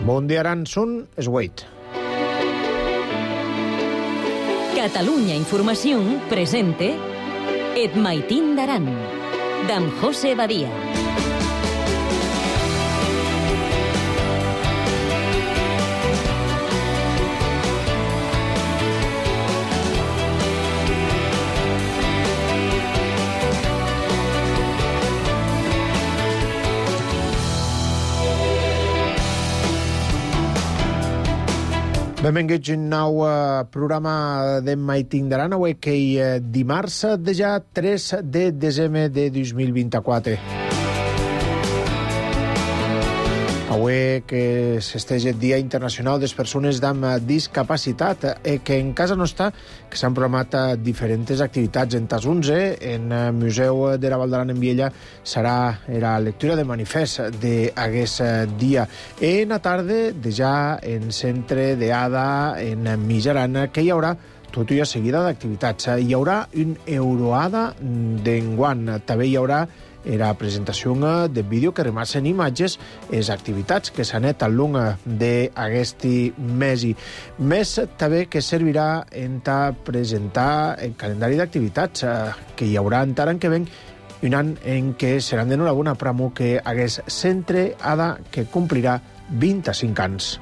Bon dia, Aran, són es 8. Catalunya Informació presente Et Maitín d'Aran, d'en José Badia. Benvinguts a un nou programa de Maitín d'Aran, avui que dimarts de ja 3 de desembre de 2024. Avui que s'esteix el Dia Internacional de les Persones amb Discapacitat, que en casa nostra que s'han programat diferents activitats. En tas 11, en el Museu de la Val d'Aran en Viella, serà la lectura de manifest d'aquest dia. En la tarda, de ja en centre d'Ada, en Mitjarana, que hi haurà tota una seguida d'activitats. Hi haurà un Euroada d'enguany. També hi haurà la presentació de vídeo que remassen imatges les activitats que s'han anat al long d'aquest mes. Més també que servirà en presentar el calendari d'activitats que hi haurà encara en que ven un any en què seran d'enhorabona pramo que hagués centre Ada que complirà 25 anys.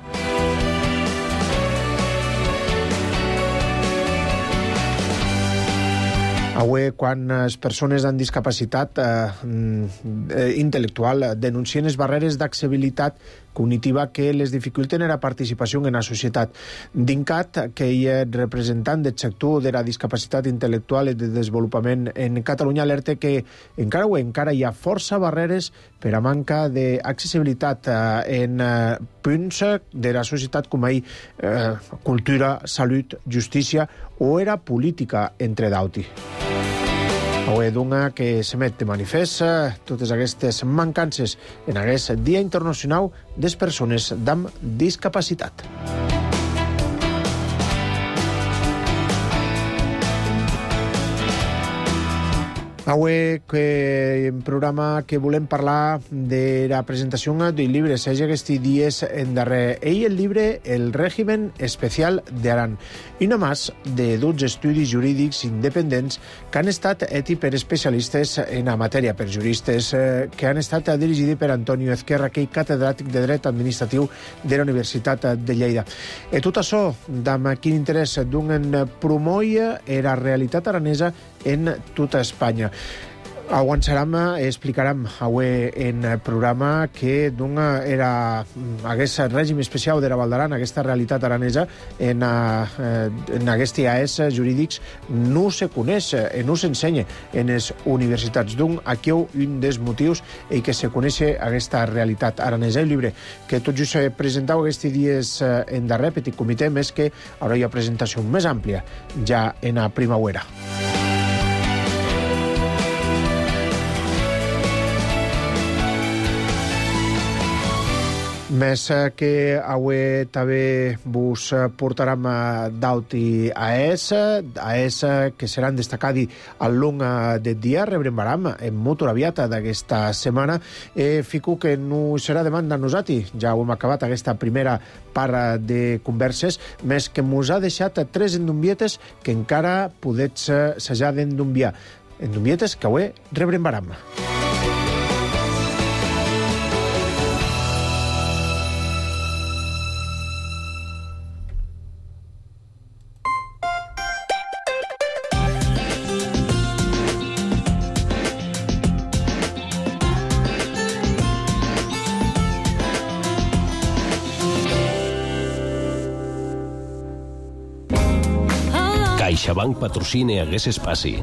Avui, quan les persones amb discapacitat intel·lectual denuncien les barreres d'accessibilitat cognitiva que les dificulten la participació en la societat. DINCAT, que és representant del sector de la discapacitat intel·lectual i de desenvolupament en Catalunya, alerta que encara hi ha força barreres per a manca d'accessibilitat en punts de la societat com cultura, salut, justícia o era política, entre d'altres. Avui d'una que s'emet de manifest totes aquestes mancances en aquest Dia Internacional de les Persones amb Discapacitat. Avui que en programa que volem parlar de la presentació del llibre Seix aquests dies en darrer. El llibre El Régimen Especial d'Aran. I només de 12 estudis jurídics independents que han estat ètics per especialistes en la matèria, per juristes que han estat dirigits per Antonio Ezquerra, que és catedràtic de Dret Administratiu de la Universitat de Lleida. I tot això, amb quin interès d'un promoure la realitat aranesa en tota Espanya. Avançarem, explicarem avui en el programa que aquest règim especial de la Val d'Aran, aquesta realitat aranesa en aquests IAES jurídics no se coneix, no s'ensenya en les universitats. Aquí hi ha un dels motius que se coneix aquesta realitat aranesa. El llibre que tot just presentau aquests dies en darrer petit comitè, més que ara hi ha presentació més àmplia ja en la primavera. Més que avui també vos portarem d'altres AES que seran destacats al long del dia. Rebrembaram en molt aviat d'aquesta setmana. Fico que no serà demanda a nosaltres. Ja ho hem acabat aquesta primera part de converses, més que mos ha deixat 3 endombietes que encara podets s'hajar d'endombiar. Endombietes que avui rebrembaram. CaixaBank patrocina aquest espai.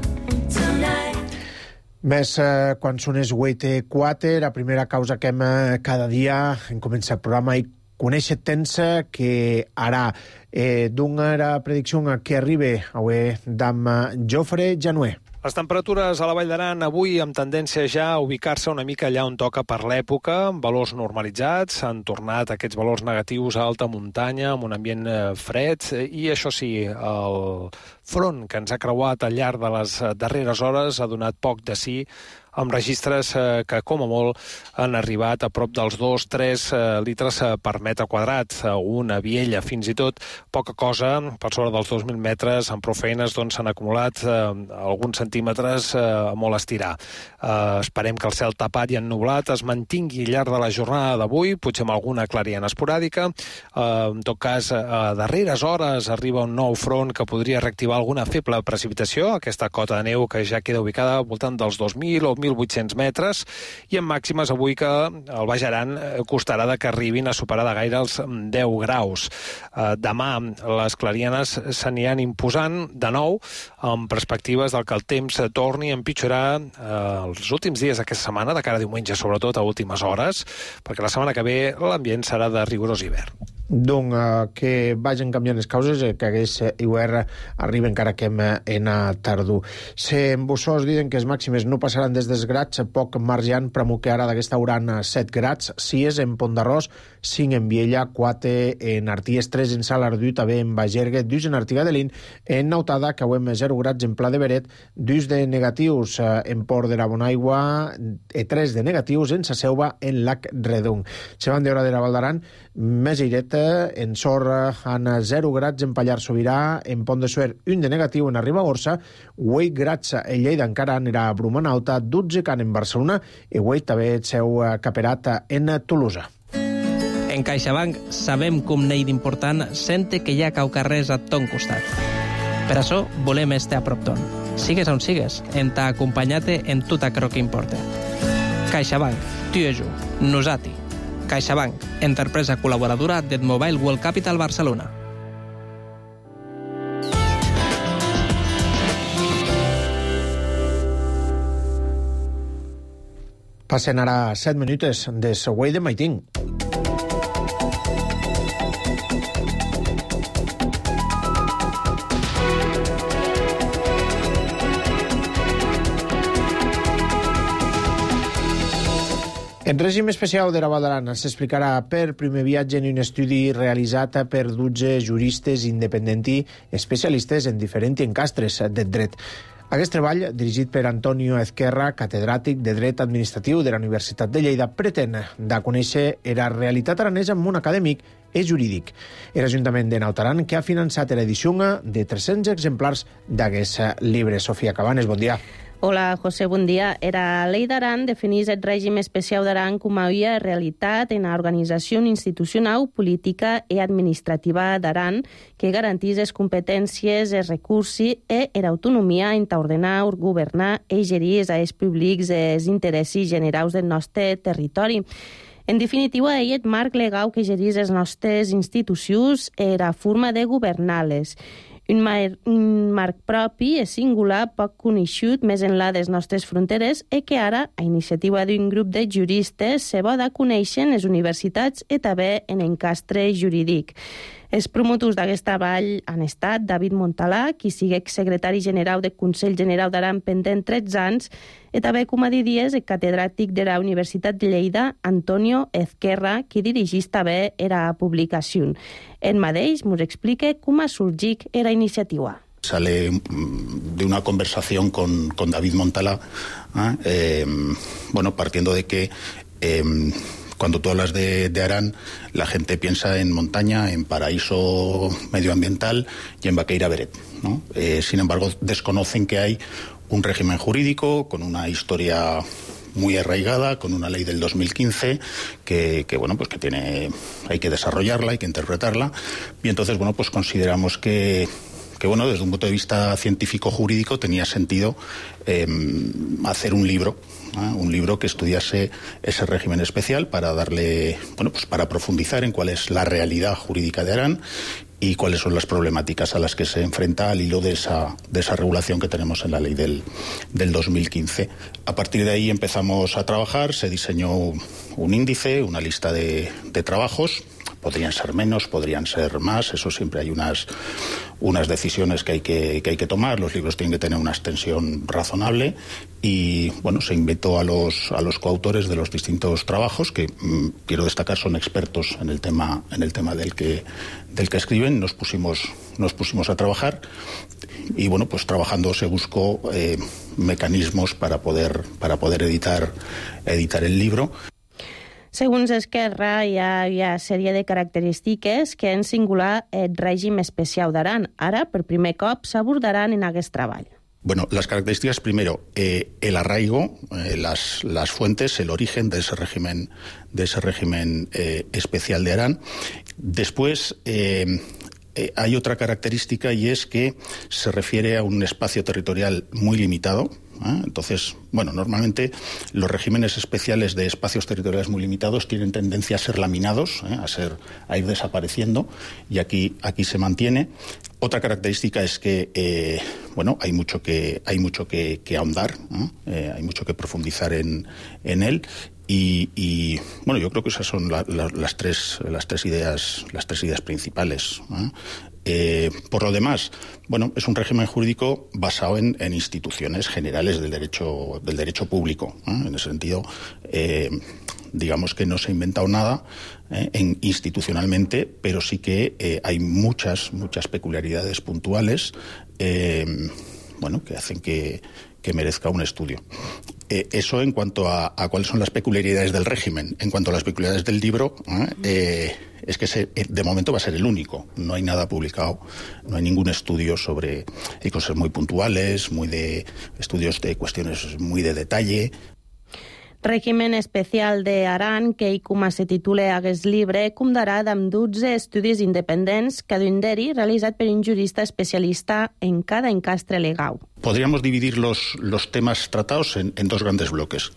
Més quan són les 8:04, la primera causa que hem cada dia en començar el programa i conèixer temps que ara d'una la predicció que arriba avui d'en Jofre Januer. Les temperatures a la Vall d'Aran avui amb tendència ja a ubicar-se una mica allà on toca per l'època, amb valors normalitzats, han tornat aquests valors negatius a alta muntanya, amb un ambient fred, i això sí, el front que ens ha creuat al llarg de les darreres hores ha donat poc de sí amb registres que, com a molt, han arribat a prop dels 2-3 litres per metre quadrat. Una Viella, fins i tot, poca cosa, per sobre dels 2.000 metres, amb prou feines s'han acumulat alguns centímetres a molt estirar. Esperem que el cel tapat i ennublat es mantingui al llarg de la jornada d'avui, potser amb alguna clariana esporàdica. En tot cas, a darreres hores arriba un nou front que podria reactivar alguna feble precipitació, aquesta cota de neu que ja queda ubicada al voltant dels 2.000 o 1.800 metres, i amb màximes avui que al Baix Aran costarà que arribin a superar de gaire els 10 graus. Demà les clarianes s'aniran imposant de nou amb perspectives del que el temps torni a empitjorar els últims dies d'aquesta setmana, de cara a diumenge, sobretot a últimes hores, perquè la setmana que ve l'ambient serà de rigorós hivern. Donc, que vagin canviant les causes, que aquest hivern arriba encara que en tardor. Se embussors diuen que els màximes no passaran des dels grats, poc margeant Pramuc ara d'aquesta hora 7 grats, 6 en Pont d'Arròs, 5 en Viella, 4 en Arties, 3 en Salardú, també en Bagergue, 2 en Artigadelín, en Nautada, que avui 0 grats en Pla de Beret, 2 de negatius en Port de la Bonaigua, 3 de negatius en Saseuva, en Lac Redung. Se van d'hora de la Val d'Aran, més airet en Sorra, en 0 grats en Pallars Sobirà, en Pont de Suert 1 de negatiu en Ribagorça, 8 grats en Lleida encara anirà a Brumanalta, 12 can en Barcelona i 8 també el seu caperat en Tolosa. En CaixaBank sabem com n'hi d'important sente que hi ha caucarrers a ton costat. Per això volem estar a prop ton. Sigues on sigues, en t'ha acompanyat en tot aquello que importa. CaixaBank, tu i jo, nosati. CaixaBank, empresa col·laboradora del Mobile World Capital Barcelona. Passen ara 7 minuts de Següell de Maitín. En règim especial de la Val d'Aran s'explicarà per primer viatge en un estudi realitzat per 12 juristes independents i especialistes en diferents encastres de dret. Aquest treball, dirigit per Antonio Ezquerra, catedràtic de Dret Administratiu de la Universitat de Lleida, pretén de conèixer la realitat aranesa en món acadèmic i jurídic. L'Ajuntament de Nautaran, que ha finançat l'edició de 300 exemplars d'aquest llibre. Sofia Cabanes, bon dia. Hola, José, bon dia. La Ley d'Aran defineix el règim especial d'Aran com a realitat en l'organització institucional, política i administrativa d'Aran que garantís les competències, els recursos i l'autonomia en ordenar, governar i gerir els públics els interessos generals del nostre territori. En definitiva, ell és marc legal que gerís les nostres institucions i la forma de governar-les. Un marc propi i singular poc coneixut més enllà de les nostres fronteres i que ara, a iniciativa d'un grup de juristes, se va de conèixer en les universitats i també en encastre jurídic. Els promotors d'aquest treball han estat David Montalà, qui sigui exsecretari general del Consell General d'Aran pendent 13 anys, i també, com a diries, el catedràtic de la Universitat de Lleida, Antonio Ezquerra, qui dirigís també la publicació. Ell mateix ens explica com ha sorgit la iniciativa. Sale de una conversación con David Montalà, partiendo de que cuando tú hablas de Aran, la gente piensa en montaña, en paraíso medioambiental y en Baqueira Beret, ¿no? Sin embargo, desconocen que hay un régimen jurídico con una historia muy arraigada, con una ley del 2015 que hay que desarrollarla, hay que interpretarla, y entonces consideramos que desde un punto de vista científico-jurídico tenía sentido hacer un libro que estudiase ese régimen especial para darle, para profundizar en cuál es la realidad jurídica de Aran y cuáles son las problemáticas a las que se enfrenta al hilo de esa regulación que tenemos en la ley del 2015. A partir de ahí empezamos a trabajar, se diseñó un índice, una lista de trabajos Podrían ser menos, podrían ser más, eso siempre hay unas decisiones que hay que tomar. Los libros tienen que tener una extensión razonable y, bueno, se invitó a los coautores de los distintos trabajos, que quiero destacar son expertos en el tema del que escriben. Nos pusimos a trabajar y, bueno, pues trabajando se buscó mecanismos para poder editar el libro. Segons Esquerra, hi ha sèrie de característiques que en singular el règim especial d'Aran. Ara, per primer cop, s'abordaran en aquest treball. Bueno, las características, primero, el arraigo, las fuentes, el origen de ese régimen especial de Arán. Después, hay otra característica y es que se refiere a un espacio territorial muy limitado. Entonces, bueno, normalmente los regímenes especiales de espacios territoriales muy limitados tienen tendencia a ser laminados, a ir desapareciendo, y aquí se mantiene. Otra característica es que, bueno, hay mucho que ahondar, hay mucho que profundizar en él. Y bueno, yo creo que esas son las tres ideas principales. Por lo demás, bueno, es un régimen jurídico basado en instituciones generales del derecho público. En ese sentido, digamos que no se ha inventado nada institucionalmente, pero sí que hay muchas peculiaridades puntuales, bueno, que hacen que merezca un estudio. Eso en cuanto a cuáles son las peculiaridades del régimen. En cuanto a las peculiaridades del libro, es que de momento va a ser el único. No hay nada publicado, no hay ningún estudio sobre... Hay cosas muy puntuales, estudios de cuestiones muy de detalle. Règimen especial d'Aran, que com se titula aquest llibre, comptarà amb 12 estudis independents, cada un d'ells realitzat per un jurista especialista en cada encastre legal. Podríamos dividir los temas tratados en dos grandes bloques.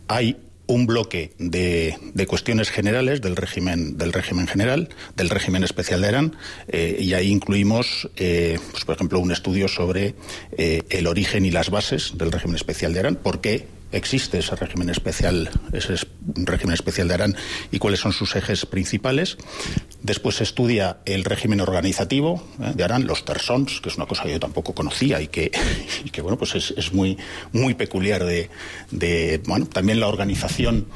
Hay un bloque de cuestiones generales del régimen general, del régimen especial de Arán, y ahí incluimos, pues, por ejemplo, un estudio sobre el origen y las bases del régimen especial de Arán, por qué existe ese régimen especial de Arán y cuáles son sus ejes principales. Después se estudia el régimen organizativo de Arán, los tersons, que es una cosa que yo tampoco conocía y que bueno, pues es muy peculiar bueno, también la organización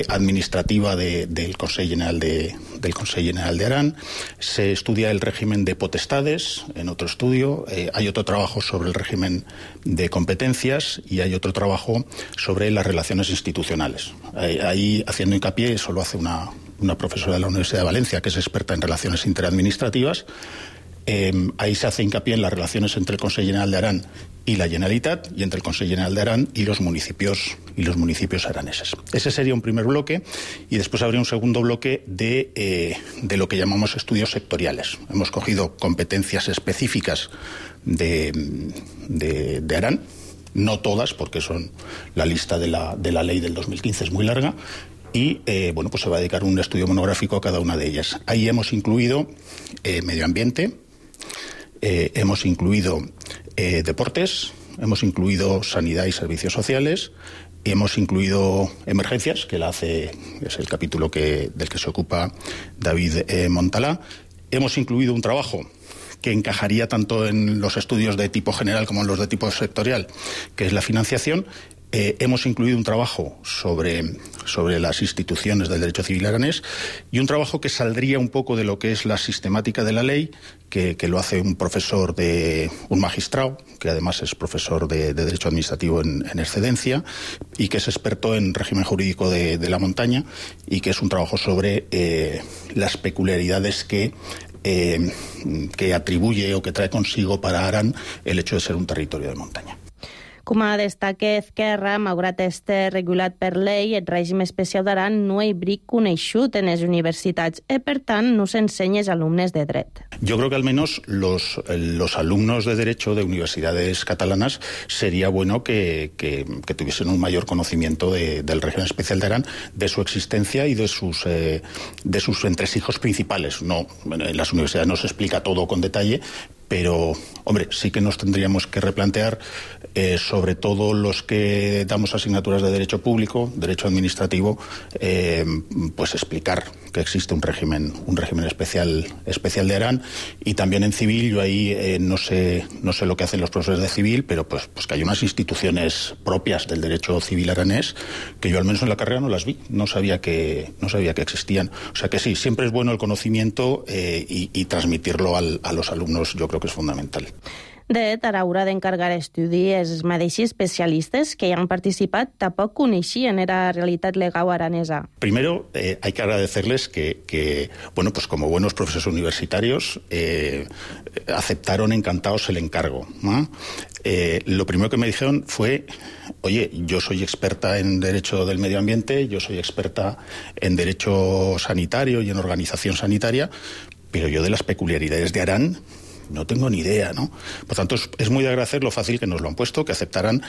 administrativa del Consejo General de Arán. Se estudia el régimen de potestades en otro estudio. Hay otro trabajo sobre el régimen de competencias y hay otro trabajo sobre las relaciones institucionales. Ahí, haciendo hincapié, eso lo hace una profesora de la Universidad de Valencia, que es experta en relaciones interadministrativas. Ahí se hace hincapié en las relaciones entre el Consejo General de Arán y la Generalitat, y entre el Consejo General de Arán y los municipios araneses. Ese sería un primer bloque, y después habría un segundo bloque de lo que llamamos estudios sectoriales. Hemos cogido competencias específicas de Arán, no todas, porque son la lista de la ley del 2015 es muy larga, y bueno, pues se va a dedicar un estudio monográfico a cada una de ellas. Ahí hemos incluido medio ambiente, hemos incluido deportes, hemos incluido sanidad y servicios sociales, hemos incluido emergencias, que es el capítulo del que se ocupa David Montalà. Hemos incluido un trabajo que encajaría tanto en los estudios de tipo general como en los de tipo sectorial, que es la financiación. Hemos incluido un trabajo sobre las instituciones del derecho civil aranés y un trabajo que saldría un poco de lo que es la sistemática de la ley, que lo hace un magistrado, que además es profesor de Derecho Administrativo en excedencia y que es experto en régimen jurídico de la montaña, y que es un trabajo sobre las peculiaridades que atribuye o que trae consigo para Arán el hecho de ser un territorio de montaña. Com a destaca Esquerra, malgrat estar regulat per llei, el règim especial d'Aran no és bric coneixut en les universitats i, per tant, no s'ensenya als alumnes de dret. Yo creo que al menos los alumnos de Derecho de universidades catalanas sería bueno que tuviesen un mayor conocimiento del régimen especial de Arán, de su existencia y de sus entresijos principales. No, en las universidades no se explica todo con detalle, pero, hombre, sí que nos tendríamos que replantear, sobre todo los que damos asignaturas de derecho público, derecho administrativo, pues explicar que existe un régimen especial de Arán, y también en civil. Yo ahí no sé lo que hacen los profesores de civil, pero pues que hay unas instituciones propias del derecho civil aranés que yo al menos en la carrera no las vi, no sabía que existían. O sea que sí, siempre es bueno el conocimiento y transmitirlo a los alumnos, yo creo que es fundamental. De ara haurà d'encargar estudi els mateixos especialistes que hi han participat tampoc coneixien la realitat legal aranesa. Primero, hay que agradecerles que bueno, pues como buenos profesores universitarios, aceptaron encantados el encargo, ¿no? Lo primero que me dijeron fue: oye, yo soy experta en derecho del medio ambiente, yo soy experta en derecho sanitario y en organización sanitaria, pero yo de las peculiaridades de Arán no tengo ni idea, ¿no? Por tanto, es muy de agradecer lo fácil que nos lo han puesto, que aceptaran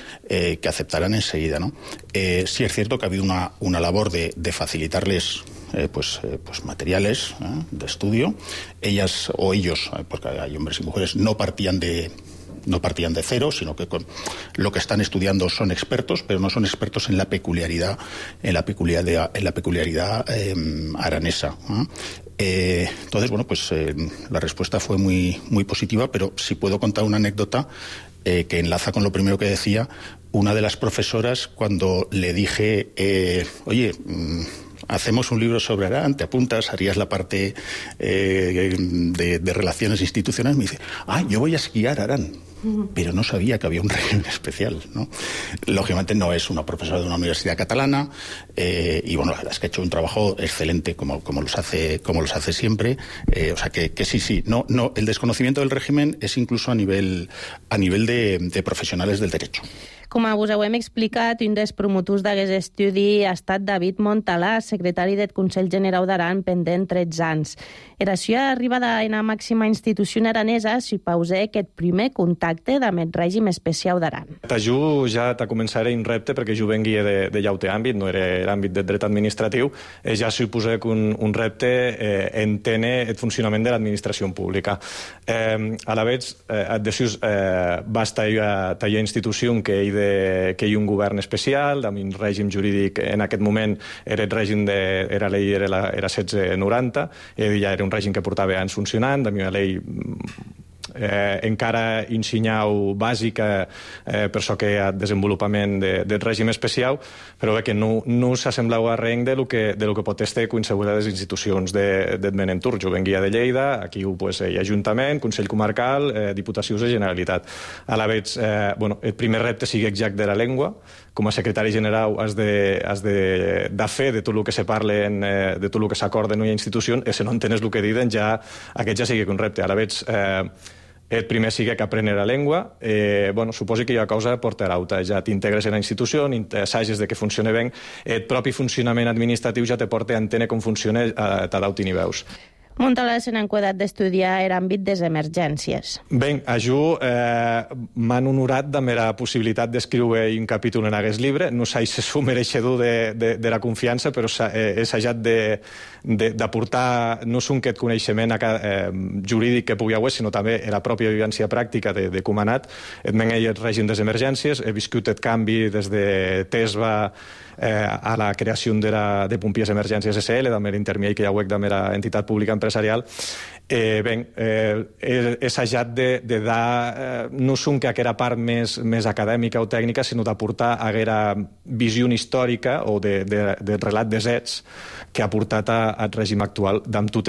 enseguida, ¿no? Sí es cierto que ha habido una labor de facilitarles pues materiales de estudio. Ellas o ellos, porque hay hombres y mujeres, no partían de cero, sino que con lo que están estudiando son expertos, pero no son expertos en la peculiaridad aranesa, ¿no? Entonces, bueno, pues la respuesta fue muy, muy positiva, pero si puedo contar una anécdota que enlaza con lo primero que decía. Una de las profesoras, cuando le dije, oye, hacemos un libro sobre Arán, ¿te apuntas? Harías la parte de relaciones institucionales. Me dice, yo voy a esquiar Arán. Pero no sabía que había un régimen especial, ¿no? Lógicamente no es una profesora de una universidad catalana, y bueno, la verdad es que ha hecho un trabajo excelente como los hace siempre. O sea que sí, no, el desconocimiento del régimen es incluso a nivel de profesionales del derecho. Com us ho hem explicat, un dels promotors d'aquest estudi ha estat David Montalà, secretari del Consell General d'Aran pendent 13 anys. Era seva arribada en la màxima institució aranesa suposa aquest primer contacte amb el règim especial d'Aran. Jo ja te començaré un repte, perquè jo venguia de llaute àmbit, no era l'àmbit del dret administratiu, ja suposa que un repte entene el funcionament de l'administració pública. A la vegada, adesius basta talla institució que hi ha un govern especial, amb un règim jurídic, en aquest moment era el règim era la llei era 1690, ja era un règim que portava anys funcionant, amb una llei encara ensenyau bàsica per això que hi ha desenvolupament del règim especial, però que no s'assemblau a res de lo que pot estar qualsevol de les institucions del Menentur. Jo venguia de Lleida, aquí hi ha Ajuntament, Consell Comarcal, Diputacions de Generalitat. A la vegada, el primer repte sigui exact de la llengua. Com a secretari general has de fer de tot el que se parla, de tot el que s'acorda en una institució, i si no entenes el que diuen, aquest ja sigui un repte. A la vegada, el primer sigui que aprendre la llengua, suposo que hi ha cosa portar alta, ja t'integres en la institució, assages de que funciona bé, el propi funcionament administratiu ja te porta a entendre com funciona a t'adauti ni veus. Montalà se n'ha enquadat d'estudiar l'àmbit de les emergències. Bé, a jo m'han honorat de la possibilitat d'escriure un capítol en aquest llibre. No sé si sou mereixedor de la confiança, però he assajat d'aportar no sols aquest coneixement jurídic que pugui haver, sinó també la pròpia vivència pràctica de com ha anat. El règim de les emergències, he viscut el canvi des de TESBA a la creació de Pompiers Emergències SL, també l'intermedi que hi ha hagut de la entitat pública empresarial. He assajat de dar no són que aquella part més acadèmica o tècnica, sinó d'aportar aquella visió històrica o de relat de fets que ha portat al règim actual amb tots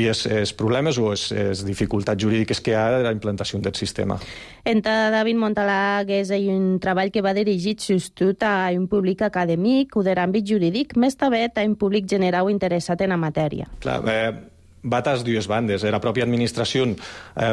els problemes o les dificultats jurídiques que hi ha de la implantació del sistema. Entre David Montalà és un treball que va dirigit sobretot a un públic acadèmic o de l'àmbit jurídic, més també a un públic general interessat en la matèria. Clar, va a les dues bandes. La pròpia administració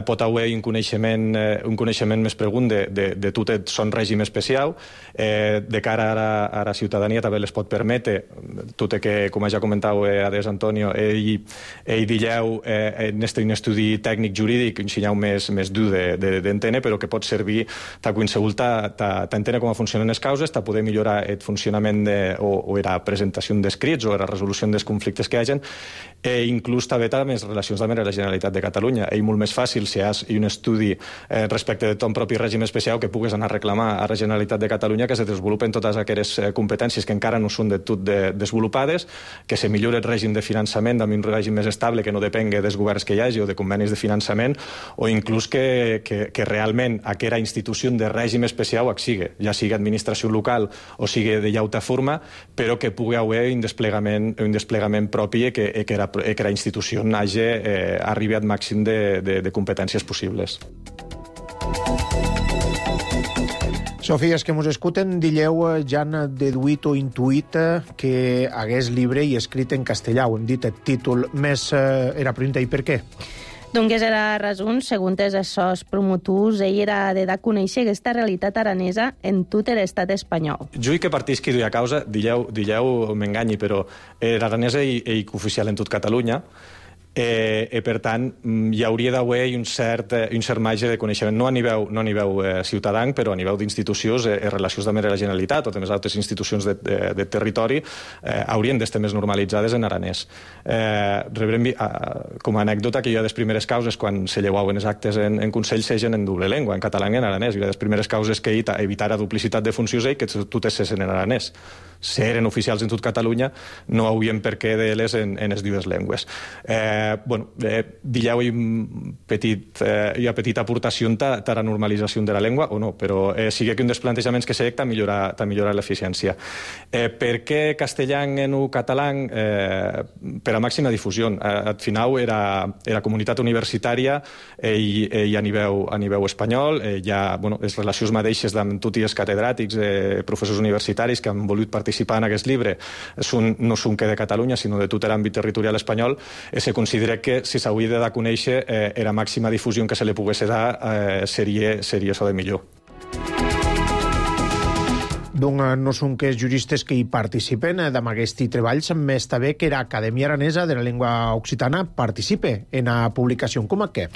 pot haver un coneixement més profund de tot el son règim especial. De cara a la ciutadania també les pot permetre, tot que, com ja comentau Ades Antonio, ell dilleu en un estudi tècnic jurídic, ensenyau més dur d'entendre, però que pot servir a qualsevol t'entendre com funcionen les causes, a poder millorar el funcionament o la presentació d'escrits o la resolució dels conflictes que hi hagi, i inclús també amb les relacions de la Generalitat de Catalunya. És molt més fàcil si hi ha un estudi respecte de ton propi règim especial que pugues anar a reclamar a la Generalitat de Catalunya que se desenvolupen totes aquelles competències que encara no són de tot desenvolupades, que se millori el règim de finançament amb un règim més estable que no depengui dels governs que hi hagi o de convenis de finançament, o inclús que realment aquella institució de règim especial sigui, ja sigui administració local o sigui de llauta forma, però que pugui haver un desplegament propi i que la institució arribi al màxim de competències possibles. Sofia, els que ens escolten, dilleu, ja han deduït o intuït que hagués llibre i escrit en castellà. Ho hem dit, el títol més era pregunta i per què? Doncs era raó, segons els seus promotors, ell era de conèixer aquesta realitat aranesa en tot l'estat espanyol. Jo que partisqui d'una causa, dilleu m'enganyi, però l'aranès és oficial en tot Catalunya, i per tant hi hauria d'haver un cert marge de coneixement, no a nivell ciutadà, però a nivell d'institucions i relacions amb la Generalitat o també altres institucions de territori haurien d'estar més normalitzades en aranès. Com a anècdota, que jo de les primeres causes quan se llevaven els actes en Consell segen en doble llengua, en català i en aranès, i de les primeres causes que evitar la duplicitat de funcions i que totes sessin en aranès. Si eren oficials en tot Catalunya, no haurien per què de les en les dues llengües. Dilleu una petita aportació a la normalització de la llengua o no, però sigui que un dels plantejaments que s'ha millorar l'eficiència. Per què castellà en català? Per a màxima difusió. Al final era comunitat universitària i a nivell espanyol hi ha les relacions mateixes amb tots els catedràtics, professors universitaris que han volut participar en aquest llibre no són que de Catalunya, sinó de tot l'àmbit territorial espanyol, i se considera que si s'hauria de conèixer la màxima difusió que se li pogués dar seria això de millor. Doncs no són que els juristes que hi participen d'aquest treball, més també que l'Acadèmia Aranesa de la Llengua Occitana participe en la publicació. Com a què?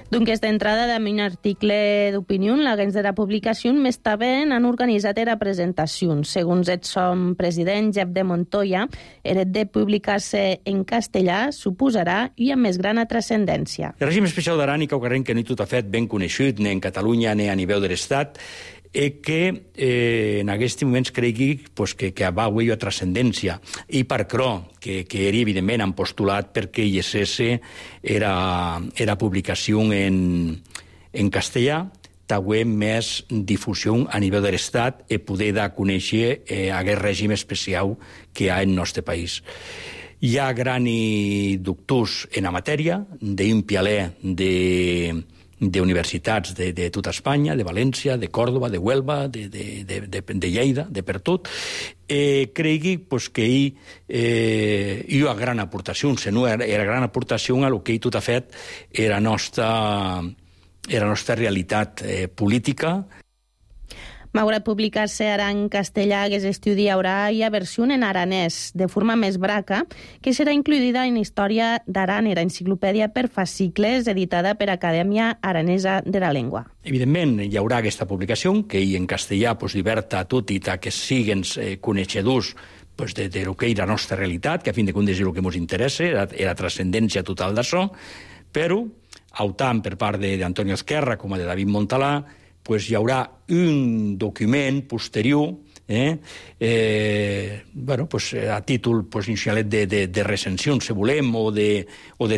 Doncs d'entrada amb un article d'opinió, l'agents de la publicació més també han organitzat la presentació. Segons el som president Jep de Montoya, el de publicar-se en castellà suposarà i amb més gran transcendència. El règim especial d'Aran i Caucarrenc, que ni tot ha fet ben coneixut, ni en Catalunya ni a nivell de l'Estat, que en aquests moments cregui que va haver una transcendència. I per això, que era evidentment han postulat perquè hi cesse era publicació en castellà, també més difusió a nivell de l'Estat i poder dar a conèixer aquest règim especial que hi ha en el nostre país. Hi ha grans doctors en la matèria, d'un pialer d'universitats de tota Espanya, de València, de Còrdova, de Huelva, de Lleida, de per tot, cregui que hi ha gran aportació, era gran aportació a lo que ell tot ha fet era nostra realitat política. Malgrat publicar-se ara en castellà, aquest estudi haurà una versió en aranès, de forma més braca, que serà incluïda en Història d'Aran, la enciclopèdia per fascicles editada per Acadèmia Aranesa de la Llengua. Evidentment, hi haurà aquesta publicació, que en castellà diverta a tot i que siguin coneixedors de lo que és la nostra realitat, que a fin de comptes és el que ens interessa, la transcendència total d'això, però, tant per part d'Antonio Ezquerra com de David Montalà, hi haurà un document posterior a títol inicialet de recensió, si volem, o de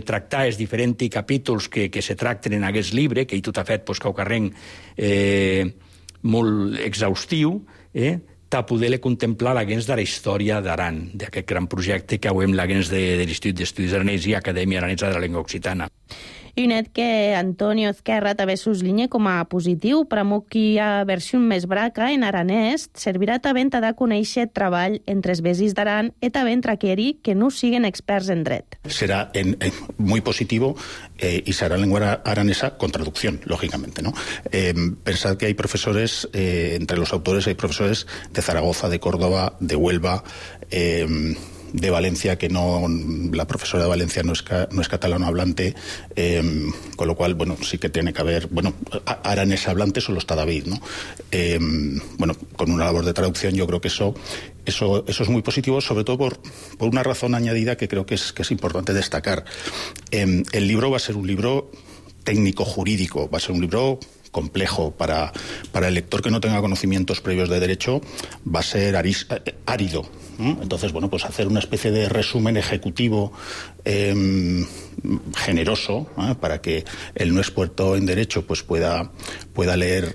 tractar els diferents capítols que se tracten en aquest llibre, que ell tot ha fet Caucarrenc molt exhaustiu, de poder contemplar l'agents de la història d'Aran, d'aquest gran projecte que hem l'agents de l'Institut d'Estudis Aranès i Acadèmia Aranesa de la Llengua Occitana. I net que Antonio Ezquerra també s'uslinya com a positiu, però que hi ha versió més braca en aranès servirà també a dar a conèixer treball entre els veïns d'Aran i també entre aquells que no siguen experts en dret. Será muy positivo y será lengua aranesa con traducción, lógicamente, ¿no? Pensad que hay profesores, entre los autores hay profesores de Zaragoza, de Córdoba, de Huelva, de Valencia, que la profesora de Valencia no es catalano hablante, con lo cual, sí que tiene que haber, aranés hablante solo está David, ¿no? Con una labor de traducción yo creo que eso Eso es muy positivo, sobre todo por una razón añadida que creo que es importante destacar. El libro va a ser un libro técnico-jurídico, va a ser un libro complejo. Para el lector que no tenga conocimientos previos de derecho va a ser árido. Entonces, bueno, pues hacer una especie de resumen ejecutivo generoso, para que el no experto en derecho pues pueda leer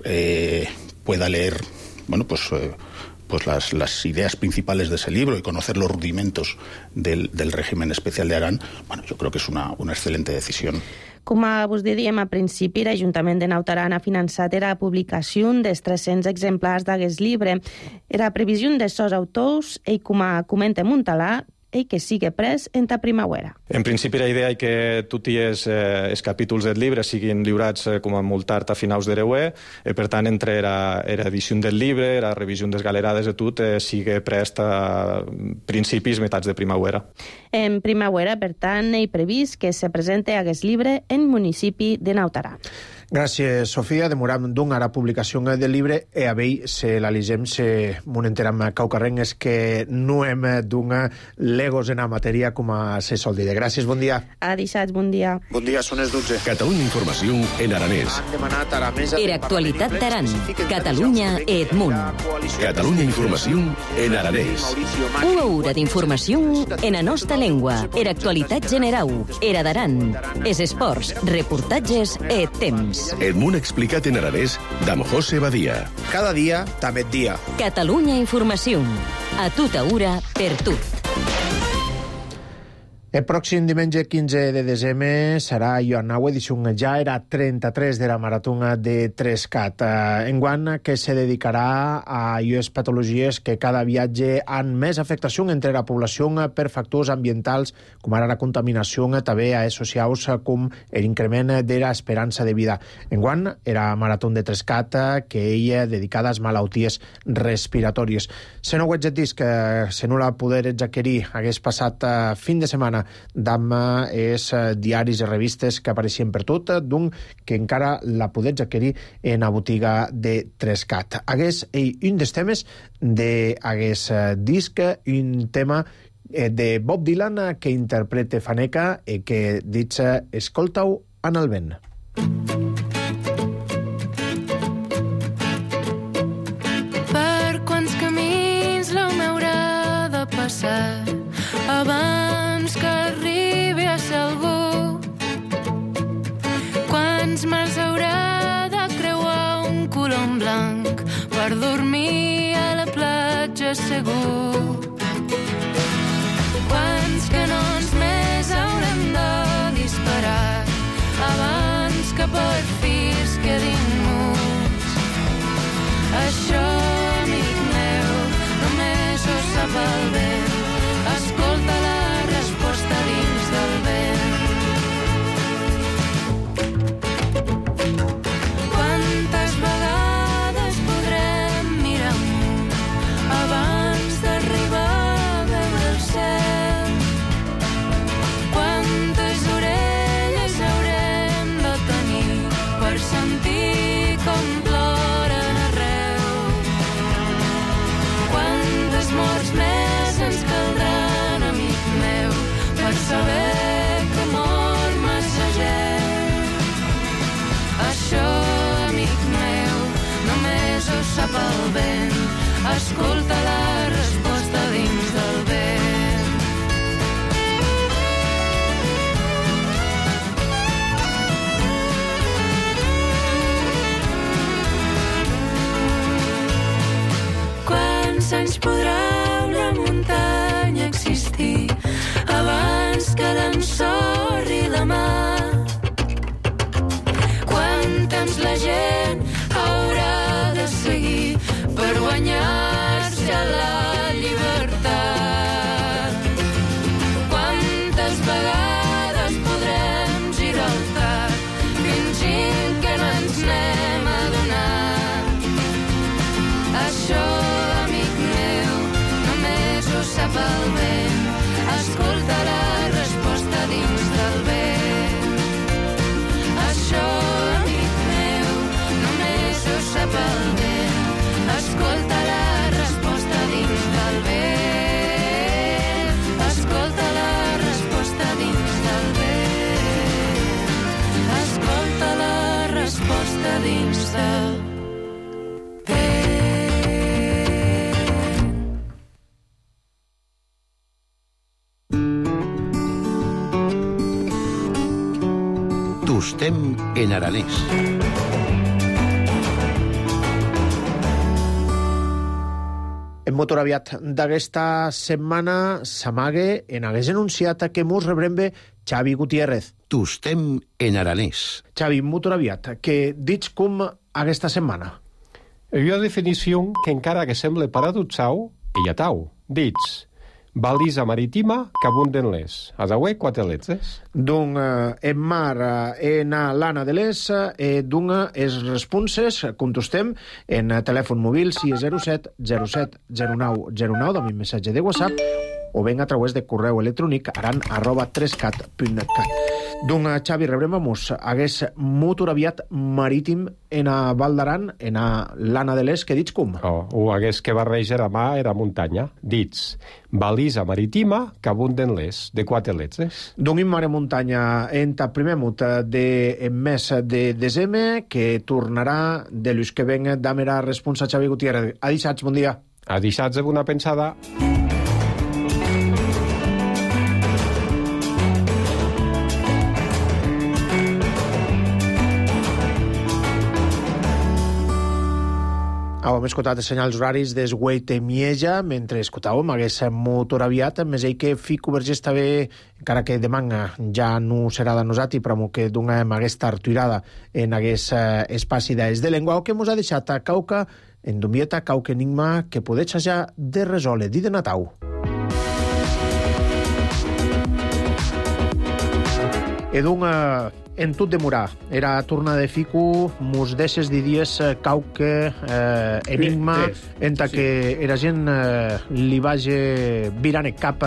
bueno, pues las ideas principales de ese libro y conocer los rudimentos del régimen especial de Aran. Bueno, yo creo que es una excelente decisión. Com vos dèiem a principi, l'Ajuntament de Naut Aran ha finançat la publicació dels 300 exemplars d'aquest llibre. Era previsió de sos autors, i com comenta Montalà, i que sigui pres en ta primavera. En principi la idea és que tots els capítols del llibre siguin lliurats com a molt tard a finals de l'EUE, per tant entre l'edició del llibre, la revisió des galerades de tot, sigui prest a principis, meitats de primavera. En primavera, per tant, he previst que se presente aquest llibre en municipi de Naut Aran. Gràcies, Sofia. Demoram a la publicació del llibre e a vell se l'analitzem, se m'ho enteram caucarrengues que no hem d'un legos en la matèria com se sol dir. Gràcies, bon dia. Adisats, bon dia. Bon dia, són les 12. Catalunya Informació en aranès. Era actualitat d'Aran. Catalunya et Munt. Catalunya Informació en aranès. Una hora d'informació en la nostra llengua. Era actualitat generau. Era d'Aran. Es esports, reportatges et temps. El món explicat en aranès d'Amb José Badia. Cada dia, també dia. Catalunya Informació. A tota hora, per tu. El pròxim diumenge 15 de desembre serà Ioannau edició ja era 33 de la maratona de Trescat. Enguany que se dedicarà a les patologies que cada viatge han més afectació entre la població per factors ambientals com ara la contaminació, també a socials com l'increment de l'esperança de vida. Enguany era marató de Trescat que ella dedicada a malalties respiratòries. Se no ho ets disc, se no la poder adquirir hagués passat fin de setmana d'amb els diaris i revistes que apareixien per tot, d'un que encara la podets adquirir en la botiga de Trescat. Hagués un dels temes d'hagués disc, un tema de Bob Dylan que interpreta Faneca i que dic escolta-ho en el vent. Per quants camins l'home haurà de passar abans que arribi a ser algú? Quants mars haurà de creuar un colom blanc per dormir a la platja segur? Quants canons més haurem de disparar abans que per fi es quedin muts? Això, amic meu, només ho sap el vent. Escolta la resposta dins del vent. Quantes vegades podrem mirar amunt abans d'arribar saber. Tostem en aranès. En motoraviat d'aquesta setmana s'amague en hagués anunciat que mos rebrembe Xavi Gutiérrez. Tostem en aranès. Xavi, motoraviat, que dits com aquesta setmana? Hi ha definició que encara que semble paradoxal, hi ha tau. Dits, balisa marítima que abunden les. Adaué, quatre letres. D'un en mar en l'ana de les, d'un es responses, contestem en telèfon mòbil 607 07 09 09, amb un missatge de WhatsApp, o ben a través de correu electrònic aran@3cat.cat. D'un Xavi rebrem a mos hagués motoraviat marítim en a Val d'Aran, en a l'ana de les, que dits com? O hagués que barreja a mà era muntanya. Dits, balisa marítima que abunden les, de quatre letres. D'un in mare muntanya en ta primer mut de mes de desembre, que tornarà de l'ús que ven d'amera responsa Xavi Gutiérrez. Adixats, bon dia. Adixats de bona pensada. Hem escoltat els senyals horaris d'Esgueit i Mieja, mentre escoltàvem hagués motoraviat, més ell que fico vergés també, encara que demà ja no serà de nosati, però que donem aquesta artuirada en hagués espaci d'es de llengua, o que mos ha deixat a cauca, en Dumbieta, cauca enigma, que podets ja de resoldre, di de Natau. En tot demorar, era torna de fico, mos deixes dies cauque enigma, enta que era gent li vagi virant cap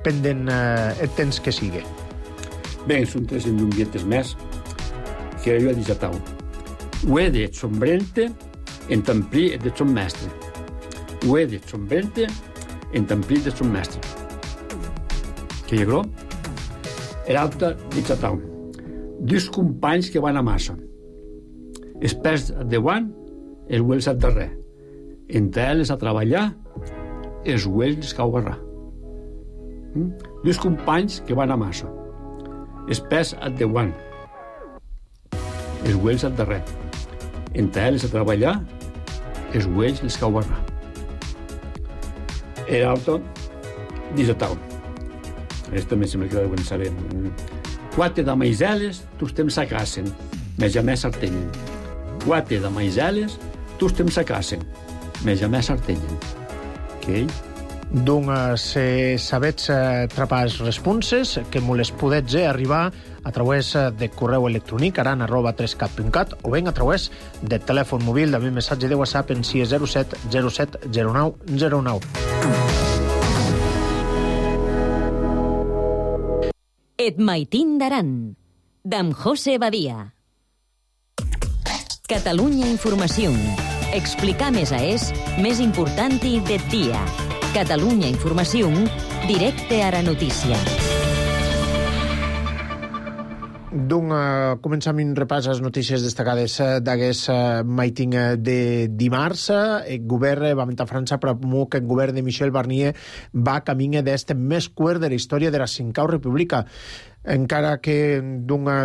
pendent el temps que sigue. Bé, són tres endumbietes més que jo he disatau. Ho he dit sombrente, en tamplir de son mestre. Ho he dit sombrente, en tamplir de son mestre. Que hi ha era alta disatau. Dos companys que van a massa. Espès de guant, els huels al darrer. Entre ells a treballar, els huels cau barrar. Dos companys que van a massa. Espès de guant, els huels al darrer. Entre ells a treballar, els huels les cau barrar. Era alto, disatau. Aquesta també sembla que la deuen saber. Quatre de maizeles, tus temps s'acasen, més a més s'artenyen. Quatre de maizeles, tus temps s'acasen, més a més s'artenyen. Ok? Doncs sabets trapar responses que me les podets arribar a través de correu electrònic aran@3cat.cat o ben a través de telèfon mòbil de mi missatge de WhatsApp en 607 07 09 09. Et maitin d'Aran, d'amb José Badia. Catalunya Informació. Explicar més a és més important del dia. Catalunya Informació, directe a la notícia. Començam un repàs a les notícies destacades d'aquest maiting de dimarts. El govern va mentar a França, però que el govern de Michel Barnier va camí d'este més quart de la història de la Cinquau República. Encara que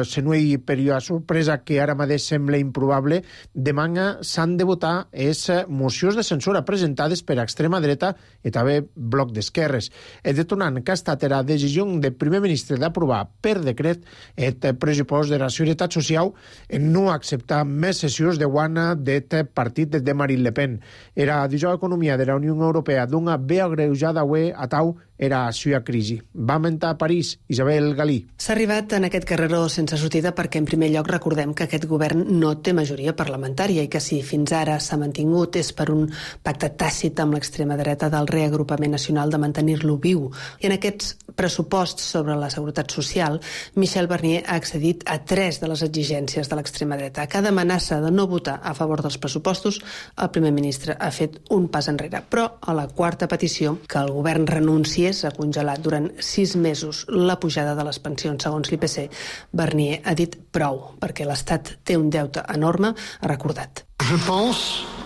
se no hi període sorpresa que ara mateix sembla improbable, demà s'han de votar les mocions de censura presentades per extrema dreta i també bloc d'esquerres. El detonant que ha estat la decisió del primer ministre d'aprovar per decret el pressupost de la Seguretat Social en no acceptar més sessions de guana del partit de Marine Le Pen. Era dijous economia de la Unió Europea d'una vea greujada a tau era a la crisi. Va mentar a París Isabel Galí. S'ha arribat en aquest carreró sense sortida perquè, en primer lloc, recordem que aquest govern no té majoria parlamentària i que si fins ara s'ha mantingut és per un pacte tàcit amb l'extrema dreta del reagrupament nacional de mantenir-lo viu. I en aquests pressuposts sobre la seguretat social, Michel Barnier ha accedit a 3 de les exigències de l'extrema dreta. A cada amenaça de no votar a favor dels pressupostos, el primer ministre ha fet un pas enrere. Però a la quarta petició, que el govern renunciés s'hagués congelat durant 6 mesos la pujada de les pensions segons l'IPC, Barnier ha dit prou, perquè l'Estat té un deute enorme, ha recordat.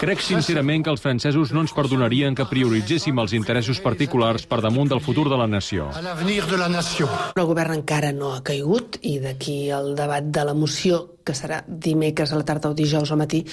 Crec sincerament que els francesos no ens perdonarien que prioritzéssim els interessos particulars per damunt del futur de la nació. El govern encara no ha caigut i d'aquí el debat de la moció, que serà dimecres a la tarda o dijous al matí,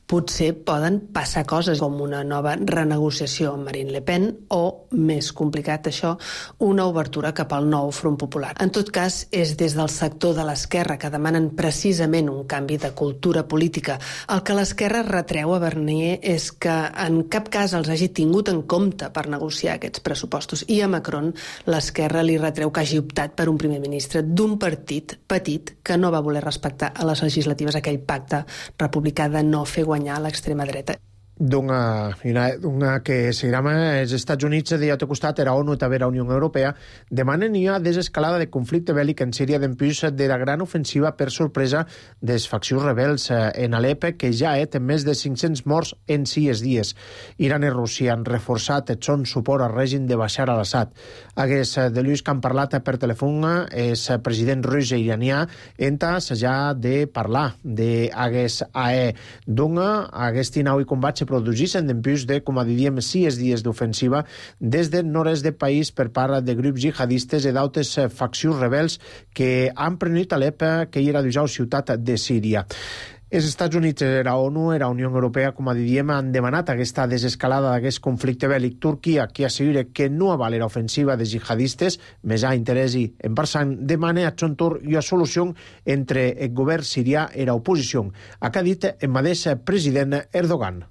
potser poden passar coses com una nova renegociació amb Marine Le Pen o, més complicat això, una obertura cap al nou Front Popular. En tot cas, és des del sector de l'esquerra que demanen precisament un canvi de cultura política. El que l'esquerra retreu a Barnier és que en cap cas els hagi tingut en compte per negociar aquests pressupostos. I a Macron l'esquerra li retreu que hagi optat per un primer ministre d'un partit petit que no va voler respectar a les legislatives aquell pacte republicà de no fer guanyar l'extrema dreta. Una que seguirà els Estats Units de l'altre costat, era ONU i també la Unió Europea, demanen una desescalada de conflicte bèl·lic en Síria d'empús de la gran ofensiva per sorpresa dels faccions rebels en Alep, que ja té més de 500 morts en 6 dies. Iran i Rússia han reforçat el son suport al règim de Bashar al-Assad. Hagués de Lluís que han parlat per telèfon és president rus i iranià entas ja de parlar d'hagués AE. Hagués tinau i combat se produïssin d'empús de, com diríem, 6 dies d'ofensiva des del nord-est del país per part de grups jihadistes i d'altres faccions rebels que han prenut Alep, que era la ciutat de Síria. Els Estats Units, la ONU i la Unió Europea, com diríem, han demanat aquesta desescalada d'aquest conflicte bèl·lic. Turquia, que assegura que no avala l'ofensiva de jihadistes, més a interès i en passant, demana a son torn una solució entre el govern sirià i l'oposició. Ha dit el mateix president Erdogan.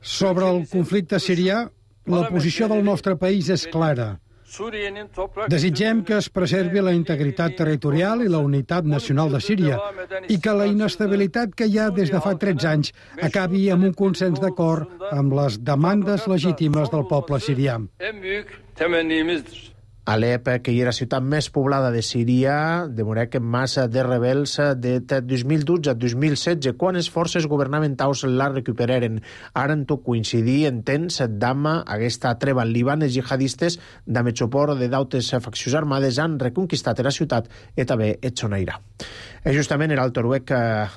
Sobre el conflicte sirià, la posició del nostre país és clara. Desitgem que es preservi la integritat territorial i la unitat nacional de Síria i que la inestabilitat que hi ha des de fa 13 anys acabi amb un consens d'acord amb les demandes legítimes del poble sirià. Alep, que hi era la ciutat més poblada de Síria, demorà que massa de rebels de 2012 a 2016, quan les forces governamentals la recuperaren. Ara en tot coincidir en temps d'ama aquesta treva al Líban, els jihadistes amb el suport de d'altres faccions armades han reconquistat la ciutat i també el Sonaira. Justament el Toruec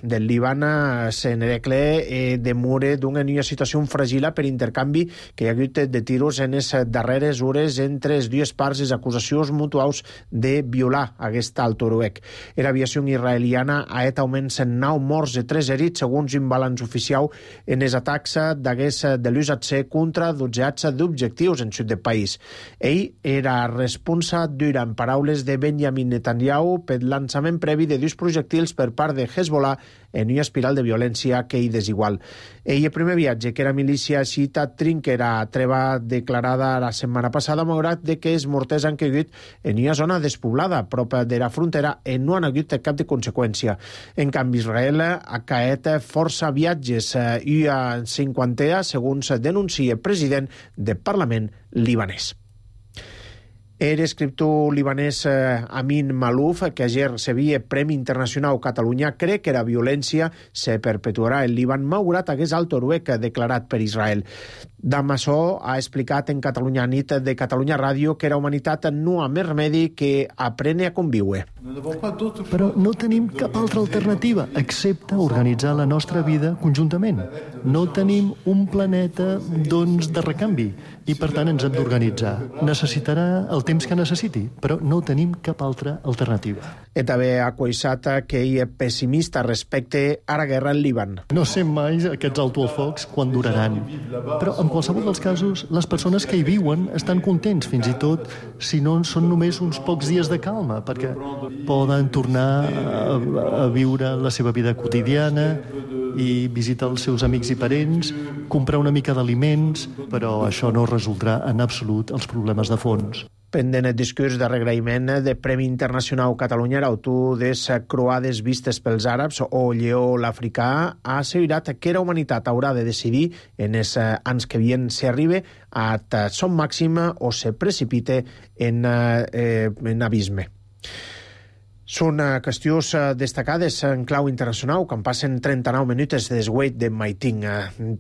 del Líban s'enrecle demora d'una nova situació fràgil per intercanvi que hi ha hagut de tiros en les darreres hores entre les dues parts les acusacions mutuals de violar aquesta al Toruec. L'aviació israeliana ha augmentat 9 morts i 3 herits segons un balanç oficial en els atacs de l'USAC contra 12 d'objectius en sud del país. Ell era responsable durant paraules de Benjamin Netanyahu per lançament previ de dos projectils per part de Hezbollah en una espiral de violència que hi desigual. El primer viatge, que era milícia xiita trinquera, treva declarada la setmana passada, malgrat que els morters han caigut en una zona despoblada, prop de la frontera, i no han hagut cap de conseqüència. En canvi, Israel ha caet força viatges i a 50, segons denuncia el president del Parlament libanès. El escriptor libanès Amin Malouf, que ayer rebia Premi Internacional Catalunya, cree que la violència se perpetuarà en Líban malgrat hagués el Toruec declarat per Israel. Damassó ha explicat en Catalunya Nit de Catalunya Ràdio que la humanitat no ha més remedi que aprendre a conviure. Però no tenim cap altra alternativa excepte organitzar la nostra vida conjuntament. No tenim un planeta, doncs, de recanvi i, per tant, ens hem d'organitzar. Necessitarà el temps que necessiti, però no tenim cap altra alternativa. I també ha coixat que ell és pessimista respecte a la guerra al Líban. No sé mai aquests autofocs quan duraran, però en qualsevol dels casos, les persones que hi viuen estan contents, fins i tot si no són només uns pocs dies de calma, perquè poden tornar a viure la seva vida quotidiana i visitar els seus amics i parents, comprar una mica d'aliments, però això no resoldrà en absolut els problemes de fons. Pendent el discurs de regraïment de Premi Internacional Catalunya, l'autor de les croades vistes pels àrabs o lleó l'africà ha assegurat que la humanitat haurà de decidir en els anys que vien si arriba a son màxim o se precipite en abisme. Són qüestions destacades en clau internacional, quan passen 39 minuts des weit de maiting.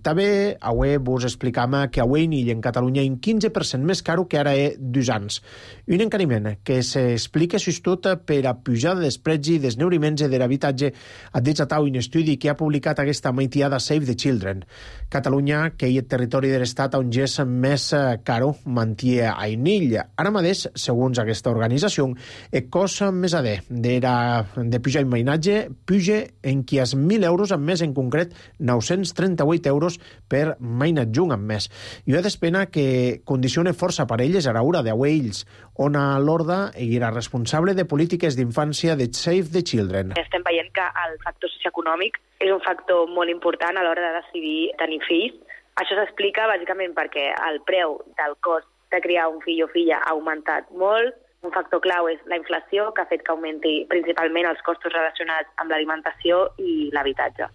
També avui vos explicam que avui en Catalunya un 15% més caro que ara 2 anys. Un encariment que s'explica tot per a pujada dels preus i desneuriments de l'habitatge, ha desatat un estudi que ha publicat aquesta maitiada Save the Children. Catalunya, que és el territori de l'Estat on és més caro, manté a inill. Ara mateix, segons aquesta organització, el cost més adé de pujar el mainatge puja en qui és 1.000 euros amb més, en concret 938 euros per mainatjung amb més. I és d'espena que condiciona força parelles a l'hora d'auells, on a l'Horda era responsable de polítiques d'infància de Save the Children. Estem veient que el factor socioeconòmic és un factor molt important a l'hora de decidir tenir fills. Això s'explica bàsicament perquè el preu del cost de criar un fill o filla ha augmentat molt. Un factor clau és la inflació, que ha fet que augmenti principalment els costos relacionats amb l'alimentació i l'habitatge.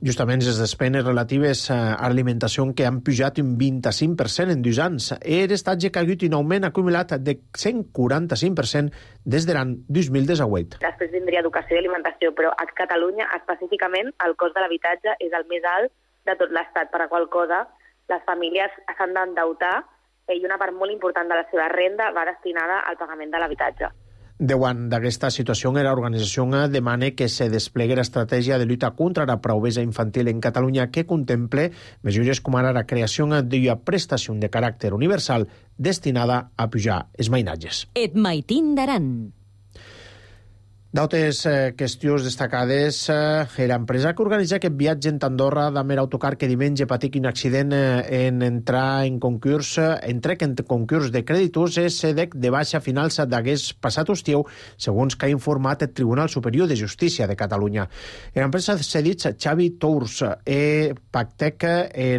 Justament les despeses relatives a l'alimentació que han pujat un 25% en 2 anys. L'estatge que ha hagut un augment acumulat de 145% des de l'any 2018. Després vindria educació i alimentació, però a Catalunya específicament el cost de l'habitatge és el més alt de tot l'Estat, per la qual cosa les famílies s'han d'endeutar i una part molt important de la seva renda va destinada al pagament de l'habitatge. Davant d'aquesta situació, l'organització demana que se desplegui l'estratègia de lluita contra la pobresa infantil en Catalunya, que contemple mesures com ara la creació d'una prestació de caràcter universal destinada a pujar els mainatges. Et maitin d'Aran. D'altres qüestions destacades, l'empresa que organitza aquest viatge en Andorra d'Amer Autocar, que diumenge patic un accident en entrar en concurs, de creditors, és SEDEC de baixa finals d'aquest passat estiu, segons que ha informat el Tribunal Superior de Justícia de Catalunya. L'empresa s'ha dit Xavi Tours pactec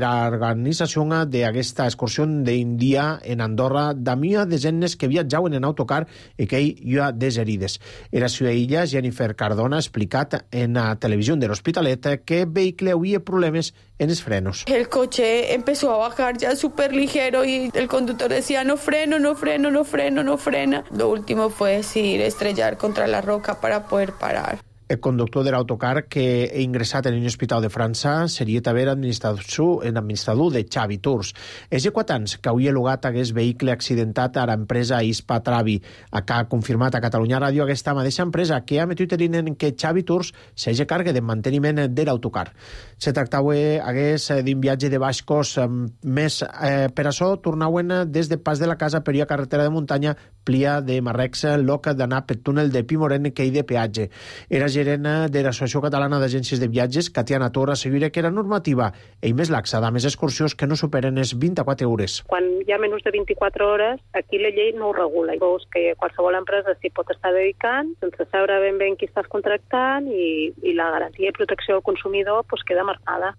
l'organització d'aquesta excursió d'un dia en Andorra d'amia desenes que viatjaven en autocar i que hi ha deserides. Era ella, Jennifer Cardona, ha explicat en la televisión del Hospitalet que el vehículo había problemas en los frenos. El coche empezó a bajar ya súper ligero y el conductor decía no freno, no freno, no freno, no frena. Lo último fue decir estrellar contra la roca para poder parar. El conductor de l'autocar, que ha ingressat en un hospital de França, seria també l'administrador de Xavi Tours. És de 4 anys que havia llogat aquest vehicle accidentat a l'empresa Ispa Travi, que ha confirmat a Catalunya Ràdio aquesta mateixa empresa, que ha metut en que Xavi Tours s'hagi càrrega de manteniment de l'autocar. Se tractava d'un viatge de baix cost, més per això tornaven des de Pas de la Casa per la carretera de muntanya Plia de Marrecs, loc d'anar pel túnel de Pimoren, que hi de peatge. Era gerent de l'Associació Catalana d'Agències de Viatges, Catiana Tor, assegura que era normativa i més laxa de més excursions que no superen les 24 hores. Quan hi ha menys de 24 hores, aquí la llei no ho regula. Veus que qualsevol empresa s'hi pot estar dedicant sense saber ben bé qui estàs contractant i la garantia i protecció del consumidor queda marcada.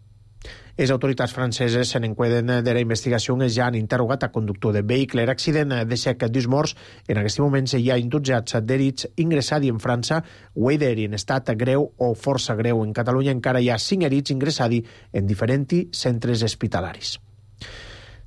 Les autoritats franceses se n'encuiden de la investigació i ja han interrogat a conductor de vehicle. L'accident deixa 2 morts. En aquest moment hi ha 12 d'herits ingressats en França, o en estat greu o força greu. En Catalunya encara hi ha 5 herits ingressats en diferents centres hospitalaris.